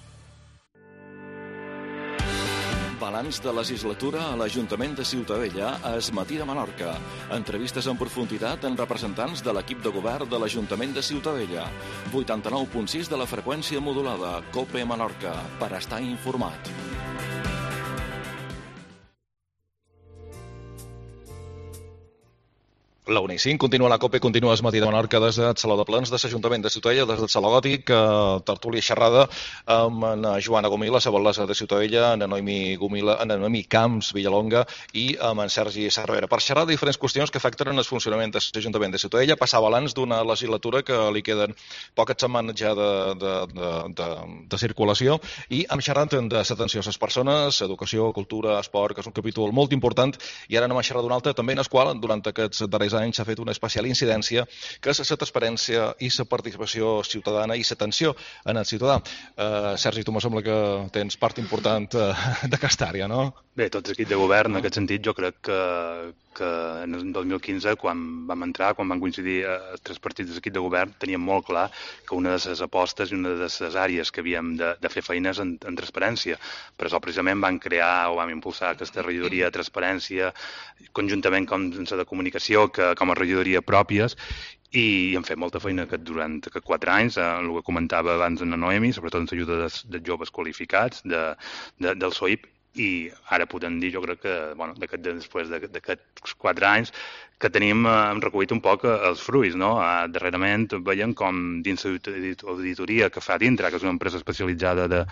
Balanç de legislatura a l'Ajuntament de Ciutadella a Es Matí de Menorca. Entrevistes en profunditat amb representants de l'equip de govern de l'Ajuntament de Ciutadella. vuitanta-nou punt sis de la freqüència modulada, COPE Menorca, per estar informat. La una i cinc, continua la COPE, continua Es Matí de Menorca des del Saló de Plens de l'Ajuntament de Ciutadella, des del Saló Gòtic, eh, tertúlia xerrada amb en Joana Gomila, la batllessa de Ciutadella, en Noemi Gomila, en Noemi Camps Villalonga i amb en Sergi Cervera, per xerrar de diferents qüestions que afecten el funcionament de l'Ajuntament de Ciutadella, passar balanç d'una legislatura que li queden poques setmanes ja de, de, de, de, de circulació, i hem xerrat de l'atenció a les persones, educació, cultura, esport, que és un capítol molt important, i ara anem a xerrar d'un altre, també en el qual, durant aquests darrers anys, s'ha fet una especial incidència, que és la transparència i la participació ciutadana i l'atenció en el ciutadà. Uh, Sergi, tu me sembla que tens part important uh, d'aquesta àrea, no? Bé, tots l'equip de govern, en aquest sentit, jo crec que, que en el dos mil quinze, quan vam entrar, quan van coincidir els tres partits de l'equip de govern, teníem molt clar que una de les apostes i una de les àrees que havíem de, de fer feines en, en transparència. Per això, precisament, van crear o vam impulsar aquesta regidoria de transparència, conjuntament amb la de comunicació, que com a regidoria pròpies, i hem fet molta feina aquest, durant aquests quatre anys, eh, el que comentava abans en la Noemi, sobretot amb l'ajuda dels, dels joves qualificats de, de, del S O I P, i ara podem dir, jo crec que, bueno, d'aquest, després d'aquests quatre anys, que tenim, eh, hem recollit un poc els fruits, no? Eh, darrerament veiem com dins l'auditoria que fa dintre, que és una empresa especialitzada de,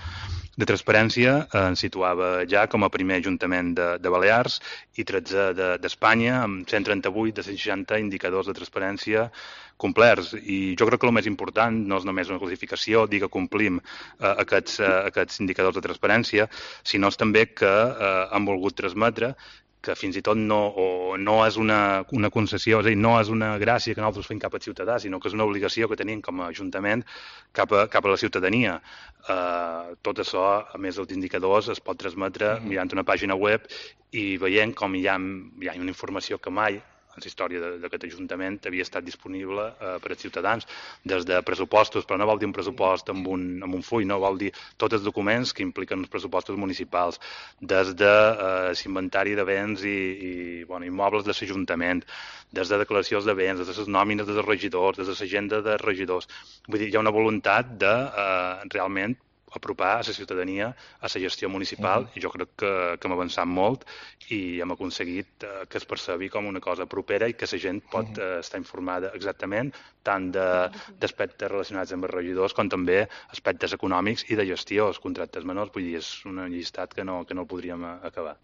de transparència, eh, ens situava ja com a primer ajuntament de, de Balears i tretzè d'Espanya, amb cent trenta-vuit de cent seixanta indicadors de transparència complerts. I jo crec que el més important no és només una classificació, dir que complim eh, aquests, eh, aquests indicadors de transparència, sinó és també que eh, hem volgut transmetre que fins i tot no, o no és una, una concessió, és a dir, no és una gràcia que nosaltres fem cap al ciutadà, sinó que és una obligació que tenim com a Ajuntament cap a, cap a la ciutadania. Uh, tot això, a més dels indicadors, es pot transmetre mm-hmm. mirant una pàgina web i veient com hi ha, hi ha una informació que mai en la història d'aquest Ajuntament havia estat disponible eh, per als ciutadans, des de pressupostos, però no vol dir un pressupost amb un, amb un full, no vol dir tots els documents que impliquen els pressupostos municipals, des de eh, l'inventari de béns i, i bueno, immobles de l'Ajuntament, des de declaracions de béns, des de les nòmines dels regidors, des de l'agenda de regidors. Vull dir, hi ha una voluntat de eh, realment apropar a la ciutadania a la gestió municipal uh-huh. i jo crec que, que hem avançat molt i hem aconseguit uh, que es percebi com una cosa propera i que la gent pot uh, estar informada exactament tant d'aspectes relacionats amb els regidors com també aspectes econòmics i de gestió, els contractes menors, vull dir, és un llistat que no, que no el podríem acabar.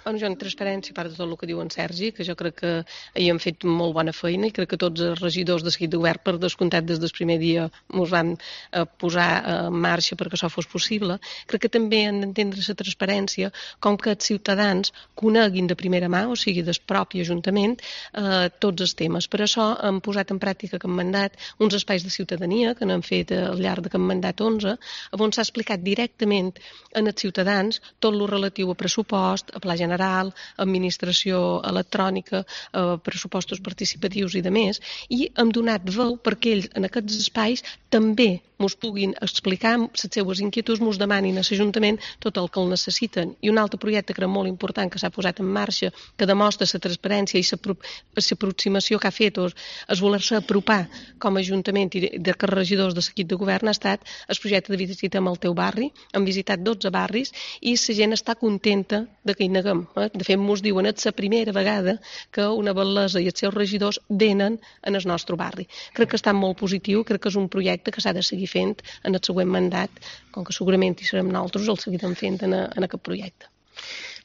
Bueno, jo en transparència, a part de tot el que diu en Sergi, que jo crec que ahir hem fet molt bona feina i crec que tots els regidors de seguit de govern, per descomptat des del primer dia, ens van eh, posar en marxa perquè això fos possible. Crec que també han d'entendre la transparència com que els ciutadans coneguin de primera mà, o sigui, del propi Ajuntament, eh, tots els temes. Per això hem posat en pràctica aquest mandat uns espais de ciutadania que n'han fet al llarg d'aquest mandat onze, on s'ha explicat directament als ciutadans tot el relatiu a pressupost, a pla general, administració electrònica, a pressupostos participatius i de més, i hem donat veu perquè ells en aquests espais també ens puguin explicar les seues les inquietuds mos demanin a l'Ajuntament tot el que el necessiten. I un altre projecte que era molt important, que s'ha posat en marxa, que demostra la transparència i l'aproximació que ha fet, o es voler-se apropar com a Ajuntament i de que regidors de l'equip de govern, ha estat el projecte de Visitem el teu barri. Hem visitat dotze barris i la gent està contenta de que hi neguem. Eh? De fet, mos diuen que és la primera vegada que una bellesa i els seus regidors venen en el nostre barri. Crec que està molt positiu, crec que és un projecte que s'ha de seguir fent en el següent mandat, com que segurament hi serem nosaltres, el seguirem fent en, a, en aquest projecte.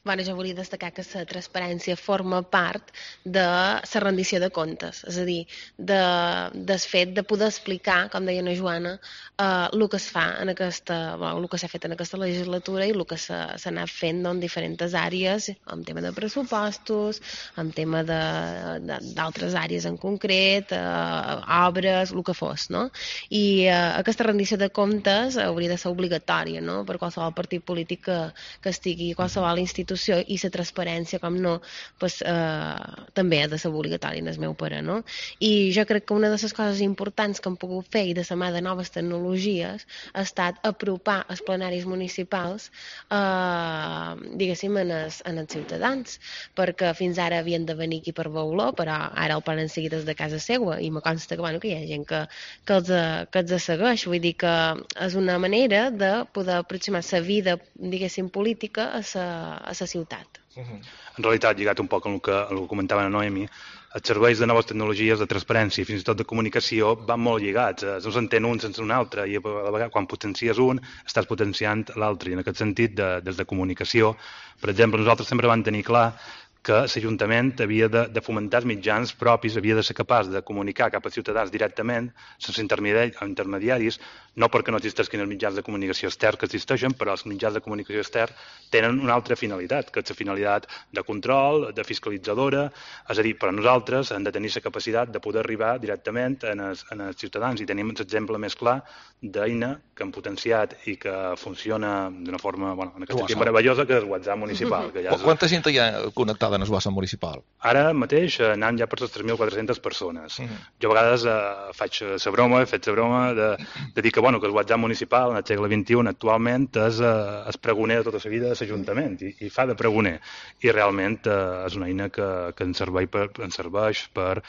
Bueno, jo volia destacar que la transparència forma part de la rendició de comptes, és a dir, de, del fet de poder explicar, com deia la Joana, eh, el que es fa en aquesta, bueno, el que s'ha fet en aquesta legislatura i el que s'ha anat fent en diferents àrees, en tema de pressupostos, en tema d'altres àrees en concret, eh, obres, el que fos, no? I eh, aquesta rendició de comptes hauria de ser obligatòria, no?, per qualsevol partit polític que, que estigui, qualsevol institució, i la transparència, com no, pues, eh, també ha de ser obligatòria en el meu pare, no? I jo crec que una de les coses importants que hem pogut fer i de la mà de noves tecnologies ha estat apropar els plenaris municipals eh, diguéssim en els, en els ciutadans, perquè fins ara havien de venir aquí per veure-lo, però ara el poden seguir des de casa seva i me consta que, bueno, que hi ha gent que, que, els, que els segueix, vull dir que és una manera de poder aproximar la vida, diguéssim, política a la a la ciutat. En realitat, lligat un poc amb el que, el que comentava la Noemi, els serveis de noves tecnologies, de transparència i fins i tot de comunicació van molt lligats, no s'entén un sense un altre, i a la vegada quan potencies un estàs potenciant l'altre, i en aquest sentit, de, des de comunicació, per exemple, nosaltres sempre vam tenir clar que l'Ajuntament havia de, de fomentar els mitjans propis, havia de ser capaç de comunicar cap als ciutadans directament, sense intermediaris, no perquè no existeixin els mitjans de comunicació externs que existeixen, però els mitjans de comunicació externs tenen una altra finalitat, que és la finalitat de control, de fiscalitzadora, és a dir, però nosaltres hem de tenir la capacitat de poder arribar directament en els, en els ciutadans, i tenim l'exemple més clar d'Eina, que hem potenciat i que funciona d'una forma, bueno, en aquest sentit meravellosa, que és el WhatsApp municipal. Que ja és... Quanta gent hi ha connectada en el WhatsApp municipal? Ara mateix anant ja per les tres mil quatre-centes persones. Mm. Jo a vegades eh, faig la broma, he fet la broma de, de dir que, bueno, que el WhatsApp municipal en el segle vint-i-u actualment és eh, el pregoner de tota la vida de l'Ajuntament i, i fa de pregoner. I realment eh, és una eina que, que ens, serveix per, ens serveix per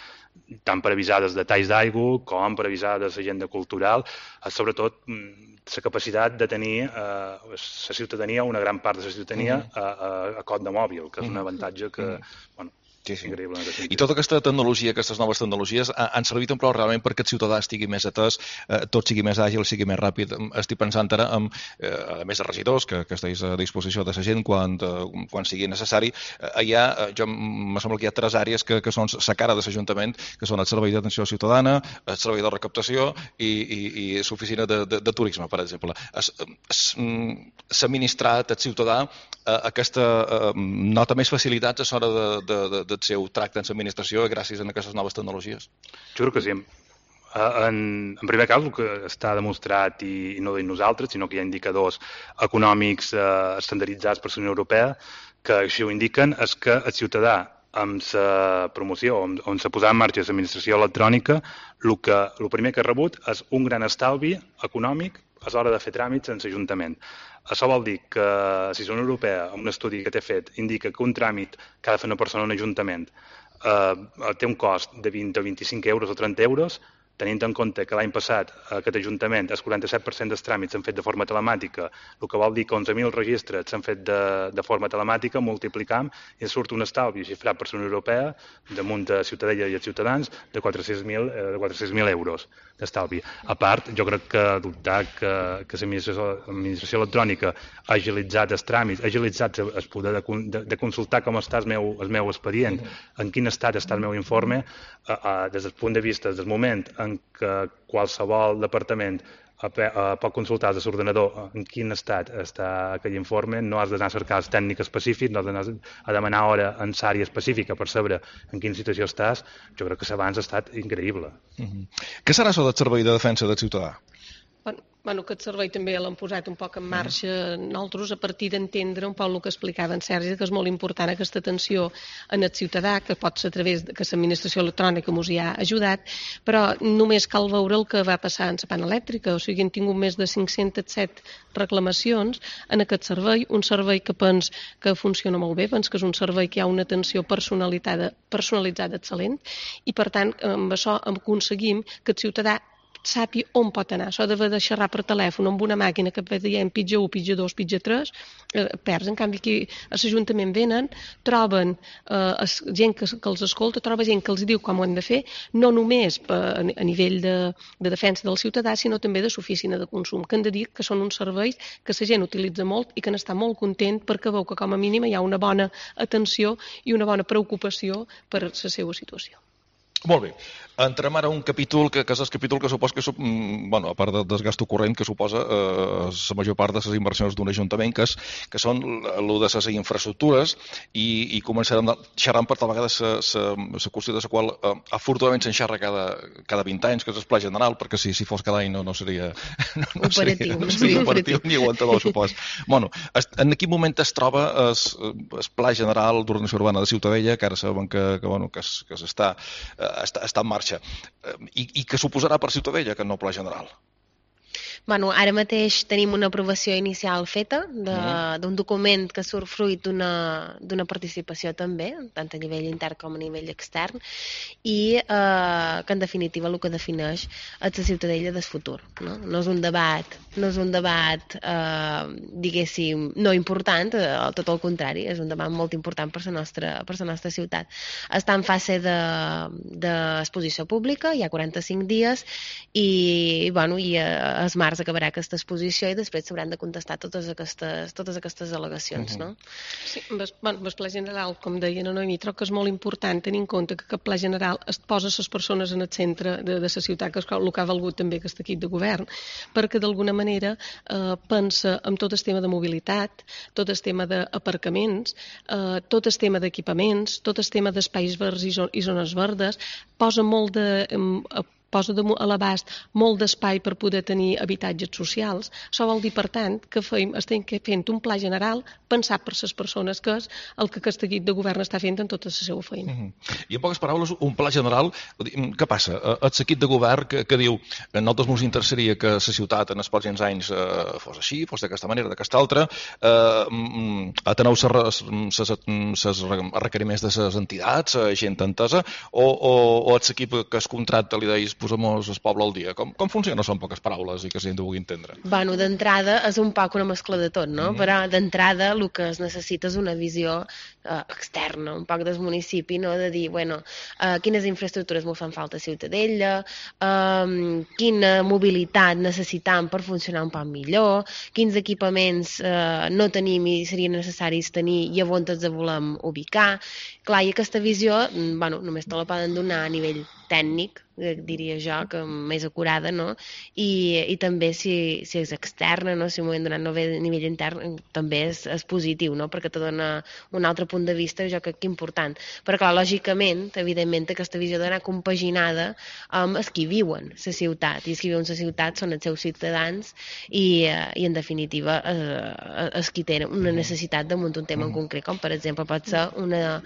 tant per avisar dels detalls d'aigua com per avisar de l'agenda cultural, eh, sobretot la capacitat de tenir eh, la ciutadania, una gran part de la ciutadania, mm. a, a, a cot de mòbil, que és un avantatge que, mm. bueno, Sí, sí. I tota aquesta tecnologia, aquestes noves tecnologies han servit en prou realment perquè el ciutadà estigui més atès, eh, tot sigui més àgil, sigui més ràpid. Estic pensant ara en, eh, a més de regidors, que, que estiguis a disposició de la gent quan, eh, quan sigui necessari. Eh, hi ha, jo me sembla que hi ha tres àrees que, que són la cara de l'Ajuntament, que són el servei d'atenció ciutadana, el servei de recaptació i, i, i l'oficina de, de, de turisme, per exemple. S'ha administrat al ciutadà eh, aquesta eh, nota més facilitats a l'hora de, de, de, de el seu tracte en l'administració gràcies a aquestes noves tecnologies? Jo crec que sí. En, en primer cas, el que està demostrat, i, i no ho dic nosaltres, sinó que hi ha indicadors econòmics eh, estandarditzats per la Unió Europea que així ho indiquen, és que el ciutadà amb la promoció, on, on s'ha posat en marxa l'administració electrònica, el, que, el primer que ha rebut és un gran estalvi econòmic a l'hora de fer tràmits en l'Ajuntament. Això vol dir que si la Unió Europea, en un estudi que té fet, indica que un tràmit que ha de fer una persona en un ajuntament eh, té un cost de vint o vint-i-cinc euros o trenta euros, tenint en compte que l'any passat aquest Ajuntament el quaranta-set per cent dels tràmits s'han fet de forma telemàtica, el que vol dir que onze mil registres s'han fet de, de forma telemàtica, multiplicam i surt un estalvi xifrat per la Unió Europea damunt de ciutadella i els ciutadans de quatre-cents mil euros d'estalvi. A part, jo crec que dubtar que, que l'administració electrònica ha agilitzat els tràmits, ha agilitzat el poder de, de, de consultar com està el meu, el meu expedient, en quin estat està el meu informe, eh, eh, des del punt de vista del moment en què qualsevol departament pot consultar des de l'ordenador en quin estat està aquell informe, no has d'anar a cercar els tècnics específics, no has d'anar a demanar hora en l'àrea específica per saber en quina situació estàs. Jo crec que l'abans ha estat increïble. Mm-hmm. Què serà això del servei de defensa del ciutadà? Bueno, bueno, aquest servei també l'hem posat un poc en marxa nosaltres a partir d'entendre un poc el que explicava en Sergi, que és molt important aquesta atenció en el ciutadà, que pot ser a través de que l'administració electrònica ens hi ha ajudat, però només cal veure el que va passar en la pana elèctrica, o sigui, hem tingut més de cinc-cents set reclamacions en aquest servei, un servei que pens que funciona molt bé, pens que és un servei que hi ha una atenció personalitzada, personalitzada excel·lent, i per tant amb això aconseguim que el ciutadà sàpi on pot anar. Això d'haver de xerrar per telèfon amb una màquina que et dient pitja u, pitja dos, pitja tres, eh, perds. En canvi, aquí a l'Ajuntament venen, troben eh, gent que, que els escolta, troba gent que els diu com ho han de fer, no només a, a nivell de, de defensa del ciutadà, sinó també de l'oficina de consum, que han de dir que són uns serveis que la gent utilitza molt i que n'està molt content perquè veu que com a mínim hi ha una bona atenció i una bona preocupació per la seva situació. Molt bé. Entrem ara a un capítol que, que és el capítol que suposa que, bueno, a part del desgast corrent que suposa eh, la major part de les inversions d'un ajuntament, que, és, que són el de les infraestructures, i, i començarem xerrant per tal vegada la qüestió de la qual eh, afortunadament s'enxerra cada, cada vint anys, que és el pla general, perquè si, si fos cada any no, no seria no, no operatiu, seria, no seria operatiu ni aguantador, supos. Bueno, en quin moment es troba el pla general d'ordenació urbana de Ciutadella, que ara sabem que, que, bueno, que, es, que està, està, està en marxa, I, i que suposarà per Ciutadella aquest nou pla general? Bueno, ara mateix tenim una aprovació inicial feta d'un document que surt fruit d'una participació també, tant a nivell intern com a nivell extern, i eh, que en definitiva el que defineix és la Ciutadella del futur. No, no és un debat, no és un debat eh, diguéssim, no important, eh, tot el contrari, és un debat molt important per la nostra, per la nostra ciutat. Està en fase d'exposició de, pública, hi ha quaranta-cinc dies, i, bueno, i es març acabarà aquesta exposició i després s'hauran de contestar totes aquestes, totes aquestes al·legacions. Uh-huh. No? Sí, amb el, bueno, amb el pla general, com deia la Noemí, trobo que és molt important tenir en compte que aquest pla general es posa les persones en el centre de, de la ciutat, que és el que ha valgut també aquest equip de govern, perquè d'alguna manera eh, pensa en tot el tema de mobilitat, tot el tema d'aparcaments, eh, tot el tema d'equipaments, tot el tema d'espais verds i, zon, i zones verdes, posa molt de... Eh, posa a l'abast molt d'espai per poder tenir habitatges socials. Això vol dir, per tant, que feim, estem fent un pla general pensat per les persones, que és el que aquest equip de govern està fent en tota la seva feina. Uh-huh. I en poques paraules, un pla general, què passa? El equip de govern que, que diu a nosaltres ens interessaria que la ciutat en els pròxims anys eh, fos així, fos d'aquesta manera, d'aquesta altra, eh, ateneu els requeriments de les entitats, gent entesa, o, o, o l'equip que es contracta li deis posem-nos el poble al dia. Com, com funciona? Són poques paraules i que la gent ho pugui entendre. Bueno, d'entrada és un poc una mescla de tot, no? Mm. Però d'entrada el que es necessita és una visió eh, externa, un poc del municipi, no? De dir, bueno, eh, quines infraestructures m'ho fan falta a Ciutadella, eh, quina mobilitat necessitam per funcionar un poc millor, quins equipaments eh, no tenim i serien necessaris tenir i on ens volem ubicar. Clar, i aquesta visió, bueno, només te la poden donar a nivell tècnic, diria jo, que més acurada, no? I, i també si, si és externa, no? Si m'ho hem donat no bé a nivell intern, també és, és positiu, no? Perquè te dona un altre punt de vista, jo crec que important. Però clar, lògicament, evidentment, aquesta visió d'anar compaginada amb els qui viuen la ciutat, i els qui viuen la ciutat són els seus ciutadans i, i en definitiva, eh, els qui tenen una necessitat damunt un tema en concret, com per exemple pot ser una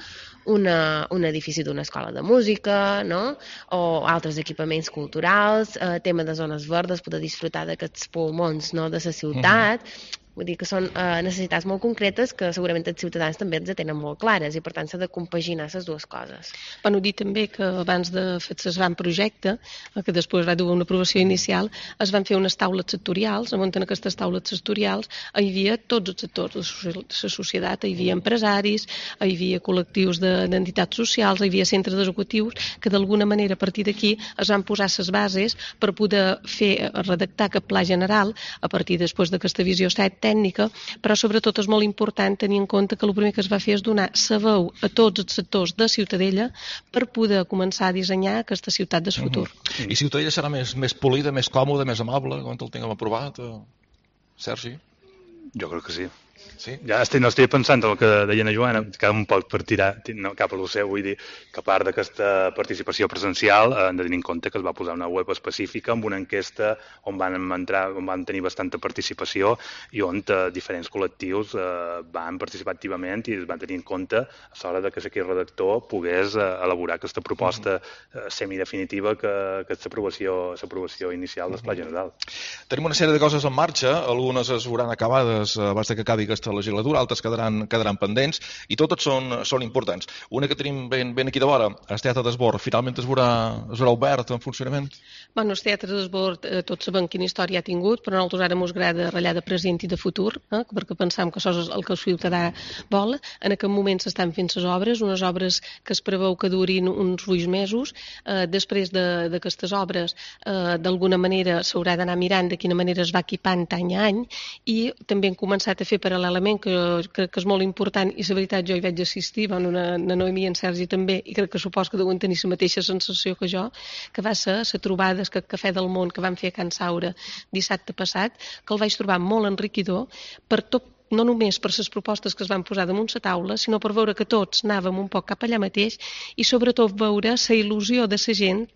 Una, un edifici d'una escola de música, no? O altres equipaments culturals, eh, tema de zones verdes, poder disfrutar d'aquests pulmons, no? De la ciutat. Uh-huh. Vull dir que són eh, necessitats molt concretes que segurament els ciutadans també ens tenen molt clares i per tant s'ha de compaginar les dues coses. Bueno, dir també que abans de fer el gran projecte, que després va dur una aprovació inicial, es van fer unes taules sectorials, on en aquestes taules sectorials hi havia tots els sectors de la societat, hi havia empresaris, hi havia col·lectius d'entitats socials, hi havia centres educatius, que d'alguna manera a partir d'aquí es van posar les bases per poder fer, redactar aquest pla general a partir després d'aquesta visió set tècnica, però sobretot és molt important tenir en compte que el primer que es va fer és donar sa veu a tots els sectors de Ciutadella per poder començar a dissenyar aquesta ciutat del futur. Uh-huh. I Ciutadella serà més, més polida, més còmoda, més amable, quan el tinguem aprovat? Sergi? Jo crec que sí. Sí? Ja estic, no estic pensant en el que deia la Joana, que un poc per tirar no, cap a lo seu, vull dir que a part d'aquesta participació presencial hem de tenir en compte que es va posar una web específica amb una enquesta on van entrar, on van tenir bastanta participació i on eh, diferents col·lectius eh, van participar activament i es van tenir en compte a l'hora de que aquest redactor pogués eh, elaborar aquesta proposta eh, semidefinitiva que, que és l'aprovació inicial del Pla General. Tenim una sèrie de coses en marxa, algunes es veuran acabades abans que acabi aquesta legislatura, altres quedaran, quedaran pendents i totes són, són importants. Una que tenim ben, ben aquí de vora, el Teatre d'Esbord, finalment es veurà, es veurà obert en funcionament? Bueno, el Teatre d'Esbord, eh, tots sabem quina història ha tingut, però a nosaltres ara ens agrada ratllar de present i de futur, eh, perquè pensam que això és el que el ciutadà vol. En aquest moment s'estan fent les obres, unes obres que es preveu que durin uns vuit mesos. Eh, després d'aquestes de, obres, eh, d'alguna manera s'haurà d'anar mirant de quina manera es va equipant any a any i també hem començat a fer paral·lelament que crec que és molt important i la veritat jo hi vaig assistir, bueno, na, na Noemí i en Sergi també, i crec que supos que deuen tenir la mateixa sensació que jo, que va ser la trobada del Cafè del Món que vam fer a Can Saura dissabte passat, que el vaig trobar molt enriquidor per tot, no només per les propostes que es van posar damunt la taula, sinó per veure que tots anàvem un poc cap allà mateix i sobretot veure la il·lusió de la gent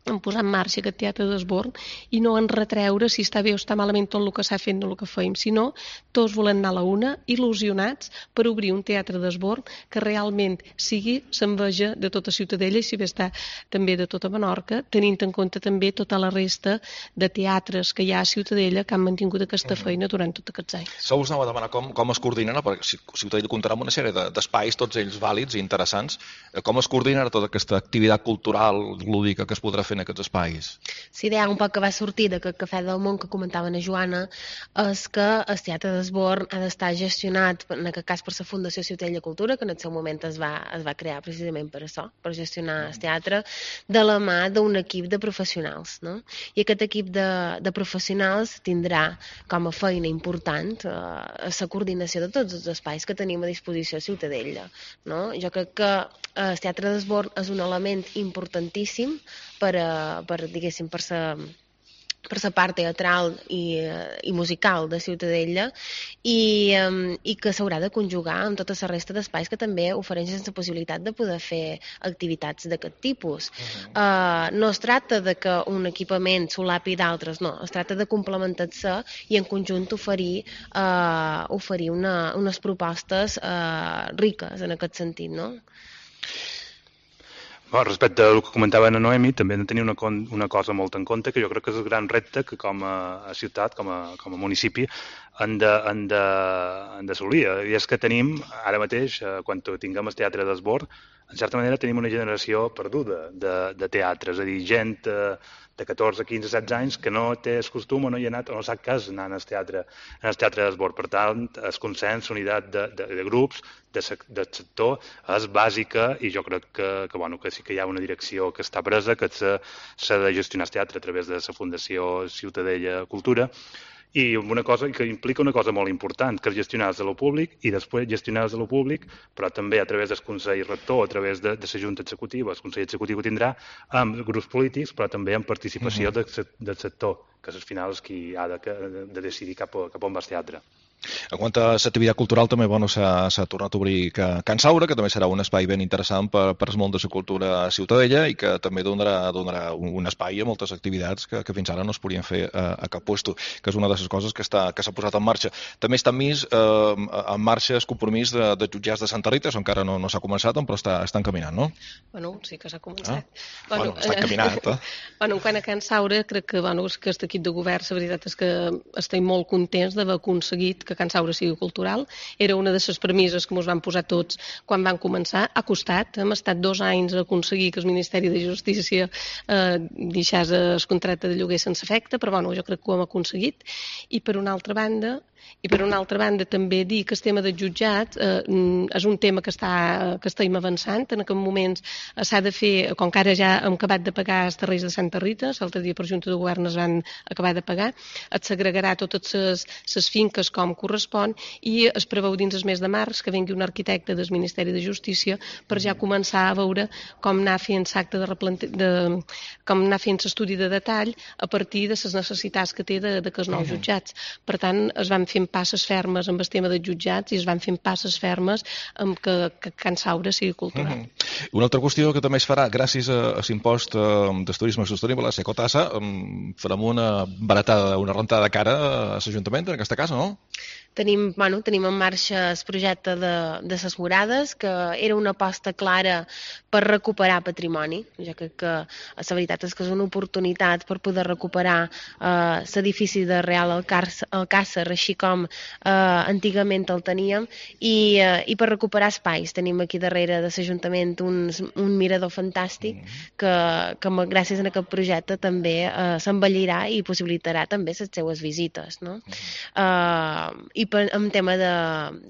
en posar en marxa aquest Teatre d'Esbord i no en retreure si està bé o està malament tot el que s'ha fet o el que feim, sinó tots volen anar a la una, il·lusionats per obrir un Teatre d'Esbord que realment sigui l'enveja de tota Ciutadella i si bé està també de tota Menorca, tenint en compte també tota la resta de teatres que hi ha a Ciutadella que han mantingut aquesta feina durant tots aquests anys. Això us anava a demanar com, com es coordinen, perquè Ciutadella comptarà amb una sèrie d'espais, tots ells vàlids i interessants, com es coordina tota aquesta activitat cultural lúdica que es podrà fer en aquests espais? La idea un poc que va sortir d'aquest Cafè del Món que comentava a Joana és que el Teatre d'Esbord ha d'estar gestionat, en aquest cas per la Fundació Ciutadella Cultura, que en el seu moment es va, es va crear precisament per això, per gestionar el teatre, de la mà d'un equip de professionals. No? I aquest equip de, de professionals tindrà com a feina important eh, la coordinació de tots els espais que tenim a disposició a Ciutadella. No? Jo crec que el Teatre d'Esbord és un element importantíssim per, per diguéssim, per la per la part teatral i, i musical de Ciutadella i, um, i que s'haurà de conjugar amb tota la resta d'espais que també ofereixen la possibilitat de poder fer activitats d'aquest tipus. Uh-huh. uh, no es tracta de que un equipament solapi d'altres, no, es tracta de complementar-se i en conjunt oferir, uh, oferir una, unes propostes uh, riques en aquest sentit, no? Bueno, respecte al que comentava Ana Noemi, també hem de tenir una, una cosa molt en compte, que jo crec que és el gran repte que com a, a ciutat, com a, com a municipi, han d'assolir. I és que tenim, ara mateix, quan tinguem el Teatre d'Esbord, en certa manera tenim una generació perduda de, de teatre, és a dir, gent de catorze, quinze, setze anys que no té el costum o no hi ha anat o no sap què és anar al teatre, en el teatre d'Esbord. Per tant, el consens, unitat de, de, de grups, de, del sector, és bàsica i jo crec que, que, bueno, que sí que hi ha una direcció que està presa, que s'ha de gestionar el teatre a través de la Fundació Ciutadella Cultura, i una cosa que implica una cosa molt important, que és gestionar des de lo públic i després gestionar des de lo públic, però també a través del Consell Rector, a través de, de la Junta Executiva. El Consell Executiu tindrà amb grups polítics, però també amb participació uh-huh. del, del sector, que és al final és qui ha de, de decidir cap, a, cap on va el teatre. En quant a l'activitat cultural, també bueno, s'ha tornat a obrir Can Saura, que també serà un espai ben interessant per, per el món de la cultura a Ciutadella i que també donarà, donarà un, un espai a moltes activitats que, que fins ara no es podien fer a, a cap puesto, que és una de les coses que s'ha que posat en marxa. També està enmig eh, en marxa el compromís de, de jutjats de Santa Rita, això encara no, no s'ha començat, però està, està encaminant, no? Bueno, sí que s'ha començat. Ah? Bueno, bueno, està encaminat, eh? Bueno, en quant a Can Saura, crec que, bueno, que aquest equip de govern, la veritat és que estem molt contents d'haver aconseguit que Can Saura sigui cultural. Era una de les premisses que ens van posar tots quan van començar. Ha costat, hem estat dos anys a aconseguir que el Ministeri de Justícia eh, deixés el contracte de lloguer sense efecte, però bueno, jo crec que ho hem aconseguit. I per una altra banda, I per una altra banda també dir que el tema del jutjat eh, és un tema que, està, que estem avançant. En aquests moments eh, s'ha de fer, com que ara ja hem acabat de pagar els terrenys de Santa Rita, l'altre dia per Junta de Govern es van acabar de pagar, es s'agregarà totes les, les finques com correspon i es preveu dins el mes de març que vengui un arquitecte del Ministeri de Justícia per ja començar a veure com anar fent l'acte de, replante... de com anar fent l'estudi de detall a partir de les necessitats que té de, de que els nous jutjats. Per tant, es van fent passes fermes amb el tema dels jutjats i es van fent passes fermes amb que, que Can Saura sigui cultural. Mm -hmm. Una altra qüestió que també es farà gràcies a, a l'impost eh, del turisme sostenible, la Secotassa, eh, farem una baratada, una rentada de cara a l'Ajuntament en aquesta casa, no? Tenim, bueno, tenim en marxa el projecte de, de les morades, que era una aposta clara per recuperar patrimoni. Jo crec que la veritat és que és una oportunitat per poder recuperar eh, l'edifici de Real Alcàsser, així com eh, antigament el teníem, i, eh, i per recuperar espais. Tenim aquí darrere de l'Ajuntament un, un mirador fantàstic que, que gràcies a aquest projecte també eh, s'embellirà i possibilitarà també les seues visites, no? Eh, I per, en tema de,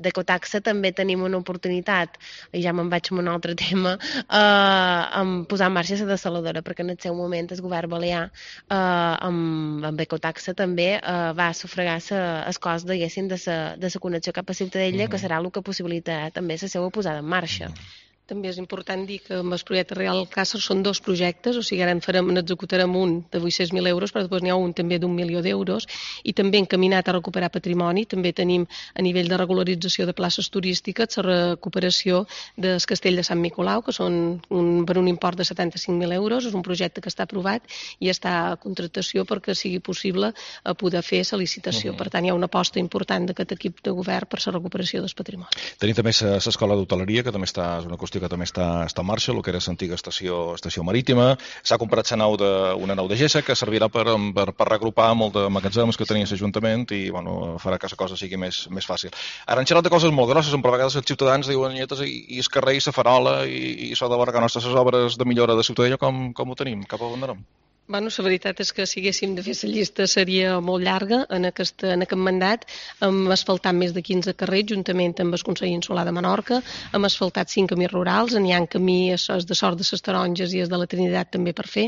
de cotaxa també tenim una oportunitat, i ja me'n vaig a un altre tema, eh, en posar en marxa la dessaladora, perquè en el seu moment el govern balear eh, amb, amb ecotaxa també eh, va sufragar el cost, diguéssim, de la de la connexió cap a Ciutadella, mm-hmm. que serà el que possibilitarà també la seva posada en marxa. Mm-hmm. També és important dir que amb el projecte Real Alcàsser són dos projectes, o sigui, ara en farem, n'executarem un de vuit-cents mil euros, però després n'hi ha un també d'un milió d'euros, i també encaminat a recuperar patrimoni. També tenim a nivell de regularització de places turístiques la recuperació del castell de Sant Nicolau, que són un, per un import de setanta-cinc mil euros. És un projecte que està aprovat i està a contractació perquè sigui possible poder fer la licitació. Uh-huh. Per tant, hi ha una aposta important d'aquest equip de govern per la recuperació del patrimoni. Tenim també l'escola d'hoteleria, que també està, és una qüestió que també està, està en marxa, el que era l'antiga estació, estació marítima. S'ha comprat nau de, una nau de Gessa que servirà per, per, per regrupar molt de magatzems que tenia l'Ajuntament i bueno, farà que la cosa sigui més, més fàcil. Ara han xerrat de coses molt grosses, on per vegades els ciutadans diuen nietes i, i el carrer i la farola i, i s'ha de veure que nostres obres de millora de Ciutadella com, com ho tenim, cap a on anem? Bueno, la veritat és que si haguéssim de fer la llista seria molt llarga. En aquest, en aquest mandat hem asfaltat més de quinze carrers juntament amb el Consell Insular de Menorca, hem asfaltat cinc camins rurals, n'hi ha camí es de Sort de les Taronges i es de la Trinitat també per fer.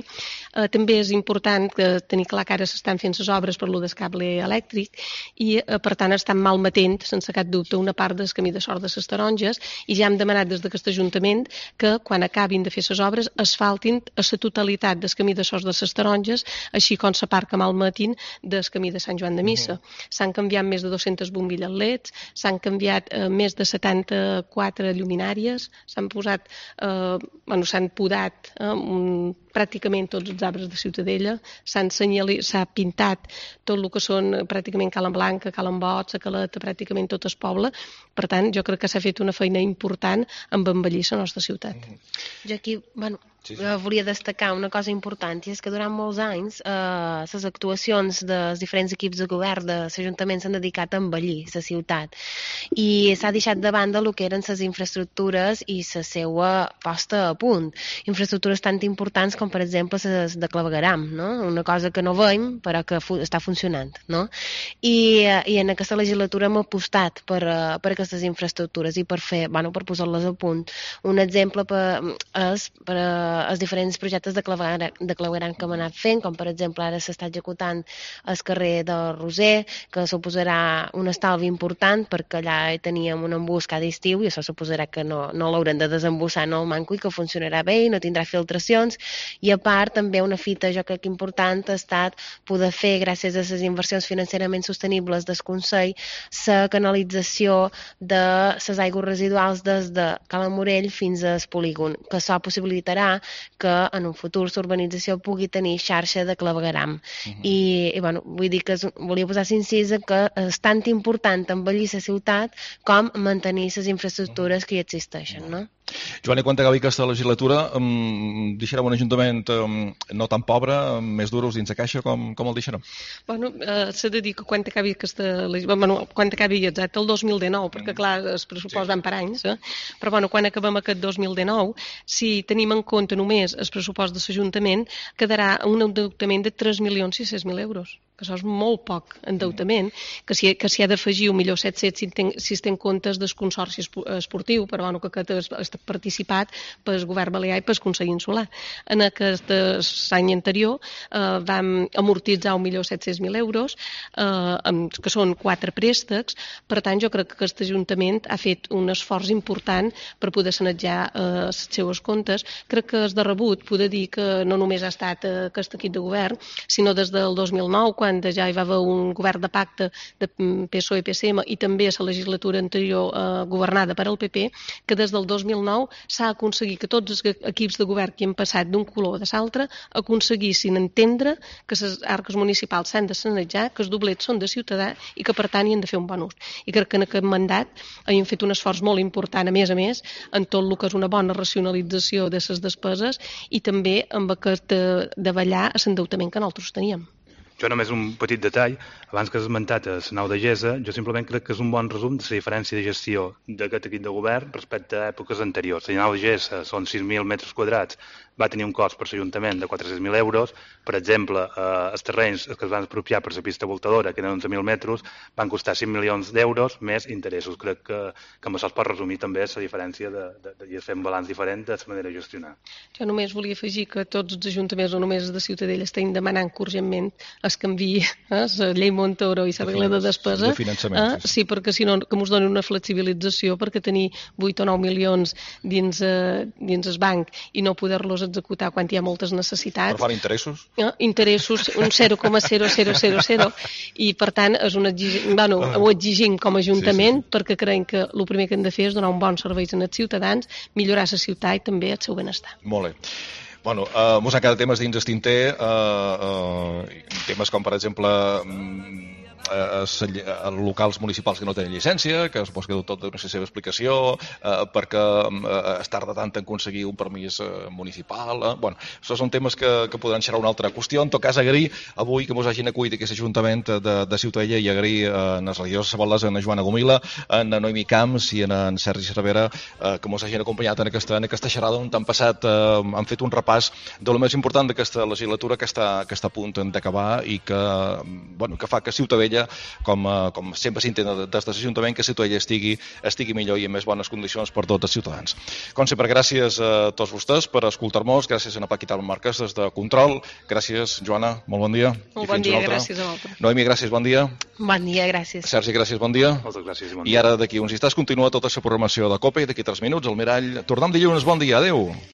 Eh, també és important que tenir clar que ara s'estan fent les obres per lo del cable elèctric i eh, per tant estan malmetent, sense cap dubte, una part del camí de Sort de les Taronges, i ja hem demanat des d'aquest Ajuntament que quan acabin de fer les obres asfaltin a la totalitat del camí de Sort de les Taronges, així com la part que malmetin del camí de Sant Joan de Missa. Uh-huh. S'han canviat més de dues-centes bombilles L E Ds, s'han canviat eh, més de setanta-quatre lluminàries, s'han posat, eh, bueno, s'han podat eh, un, pràcticament tots els arbres de Ciutadella, s'han s'ha pintat tot el que són pràcticament Cala Blanca, Cala Bot, la Caleta, pràcticament tot el poble. Per tant, jo crec que s'ha fet una feina important en embellir la nostra ciutat. Uh-huh. Jo aquí, bueno, Sí, sí. volia destacar una cosa important, i és que durant molts anys eh, les actuacions dels diferents equips de govern de l'Ajuntament s'han dedicat a embellir la ciutat i s'ha deixat de banda el que eren les infraestructures i la seva posta a punt. Infraestructures tan importants com, per exemple, les de clavegueram, no? Una cosa que no veiem però que fu està funcionant, no? I, i en aquesta legislatura hem apostat per, per aquestes infraestructures i per fer, bueno, per posar-les a punt. Un exemple per, és per els diferents projectes de clavegueram, de clavegueram que hem anat fent, com per exemple ara s'està executant el carrer del Roser, que suposarà un estalvi important perquè allà teníem un embús cada estiu i això suposarà que no, no l'haurem de desembussar en el manco i que funcionarà bé i no tindrà filtracions. I a part també una fita jo crec important ha estat poder fer, gràcies a les inversions financerament sostenibles del Consell, la canalització de les aigües residuals des de Cala Morell fins al polígon, que això possibilitarà que en un futur l'urbanització pugui tenir xarxa de clavegueram. Uh-huh. I, i bueno, vull dir que és, volia posar l'incís que és tan important embellir la ciutat com mantenir les infraestructures que hi existeixen, no? Joan, i quan acabi aquesta legislatura um, deixarem un ajuntament um, no tan pobre, um, més duros dins la caixa, com, com el deixarem? Bueno, eh, s'ha de dir que quan acabi aquesta bueno, quan acabi exacte el dos mil dinou, perquè clar, els pressupost van per anys, eh? Però bueno, quan acabem aquest dos mil dinou, si tenim en compte només el pressupost de l'Ajuntament, quedarà un endeutament de tres milions sis-cents mil euros, que això és molt poc endeutament, que s'hi que s'hi ha d'afegir un milió set-cents si, ten, si es ten comptes del consorci esportiu, però bueno, que aquest ha participat pel govern balear i pel Consell Insular. En aquest any anterior eh, vam amortitzar un milió set-cents mil euros, eh, que són quatre préstecs. Per tant, jo crec que aquest Ajuntament ha fet un esforç important per poder sanejar eh, els seus comptes. Crec que és de rebut poder dir que no només ha estat eh, aquest equip de govern, sinó des del dos mil nou, quan banda ja hi va haver un govern de pacte de P S O E P S M i també a la legislatura anterior eh, governada per al P P, que des del dos mil nou s'ha aconseguit que tots els equips de govern que han passat d'un color o de l'altre aconseguissin entendre que les arques municipals s'han de sanejar, que els doblets són de ciutadà i que per tant hi han de fer un bon ús. I crec que en aquest mandat hem fet un esforç molt important, a més a més, en tot el que és una bona racionalització de les despeses i també amb aquest de, de ballar a l'endeutament que nosaltres teníem. Jo només un petit detall, abans que has esmentat a la nau de Gesa, jo simplement crec que és un bon resum de la diferència de gestió d'aquest equip de govern respecte a èpoques anteriors. La nau de Gesa són sis mil metres quadrats, va tenir un cost per l'Ajuntament de quatre-cents mil euros. Per exemple, eh, els terrenys que es van expropiar per la pista voltadora, que eren onze mil metres, van costar cinc milions d'euros més interessos. Crec que, que amb això es pot resumir també la diferència de, de, de, de fer un balanç diferent de la manera de gestionar. Jo només volia afegir que tots els ajuntaments, no només els de Ciutadella, estan demanant que urgentment es canviï eh, la llei Montoro i la regla de despesa. De finançament. Eh, sí, perquè si no, que ens donin una flexibilització, perquè tenir vuit o nou milions dins, eh, dins el banc i no poder-los executar quan hi ha moltes necessitats. Per fan interessos? Eh, interessos un zero coma zero zero zero zero i per tant és un exig... bueno, ho exigim com a Ajuntament sí, sí. perquè creiem que el primer que hem de fer és donar un bon servei als ciutadans, millorar la ciutat i també el seu benestar. Molt bé. Bueno, uh, mos han quedat temes dins el tinter, uh, uh, temes com per exemple a, a, a locals municipals que no tenen llicència, que suposo que tot dona la seva explicació, eh, perquè eh, es tarda tant en aconseguir un permís eh, municipal. Eh? Bueno, això són temes que, que podran xerrar una altra qüestió. En tot cas, agrair avui que mos hagin acollit aquest Ajuntament de, de Ciutadella i agrair eh, en els regidors Sabalés, en Joana Gomila, en Noemi Camps i en, en Sergi Cervera eh, que mos hagin acompanyat en aquesta, en aquesta xerrada on han passat, eh, han fet un repàs de lo més important d'aquesta legislatura que està, que està a punt d'acabar i que, bueno, que fa que Ciutadella, com, com sempre s'intenta des de l'Ajuntament, que Ciutadella estigui, estigui millor i en més bones condicions per tots els ciutadans. Com sempre, gràcies a tots vostès per escoltar-nos, gràcies a Paquita Marques des de Control, gràcies Joana, molt bon dia. Molt bon dia, gràcies a vosaltres. Noemi, gràcies, bon dia. Bon dia, gràcies. Sergi, gràcies, bon dia. Moltes gràcies i bon dia. I ara d'aquí uns instants continua tota la programació de COPE i d'aquí tres minuts el Mirall. Tornem dilluns, bon dia, adeu.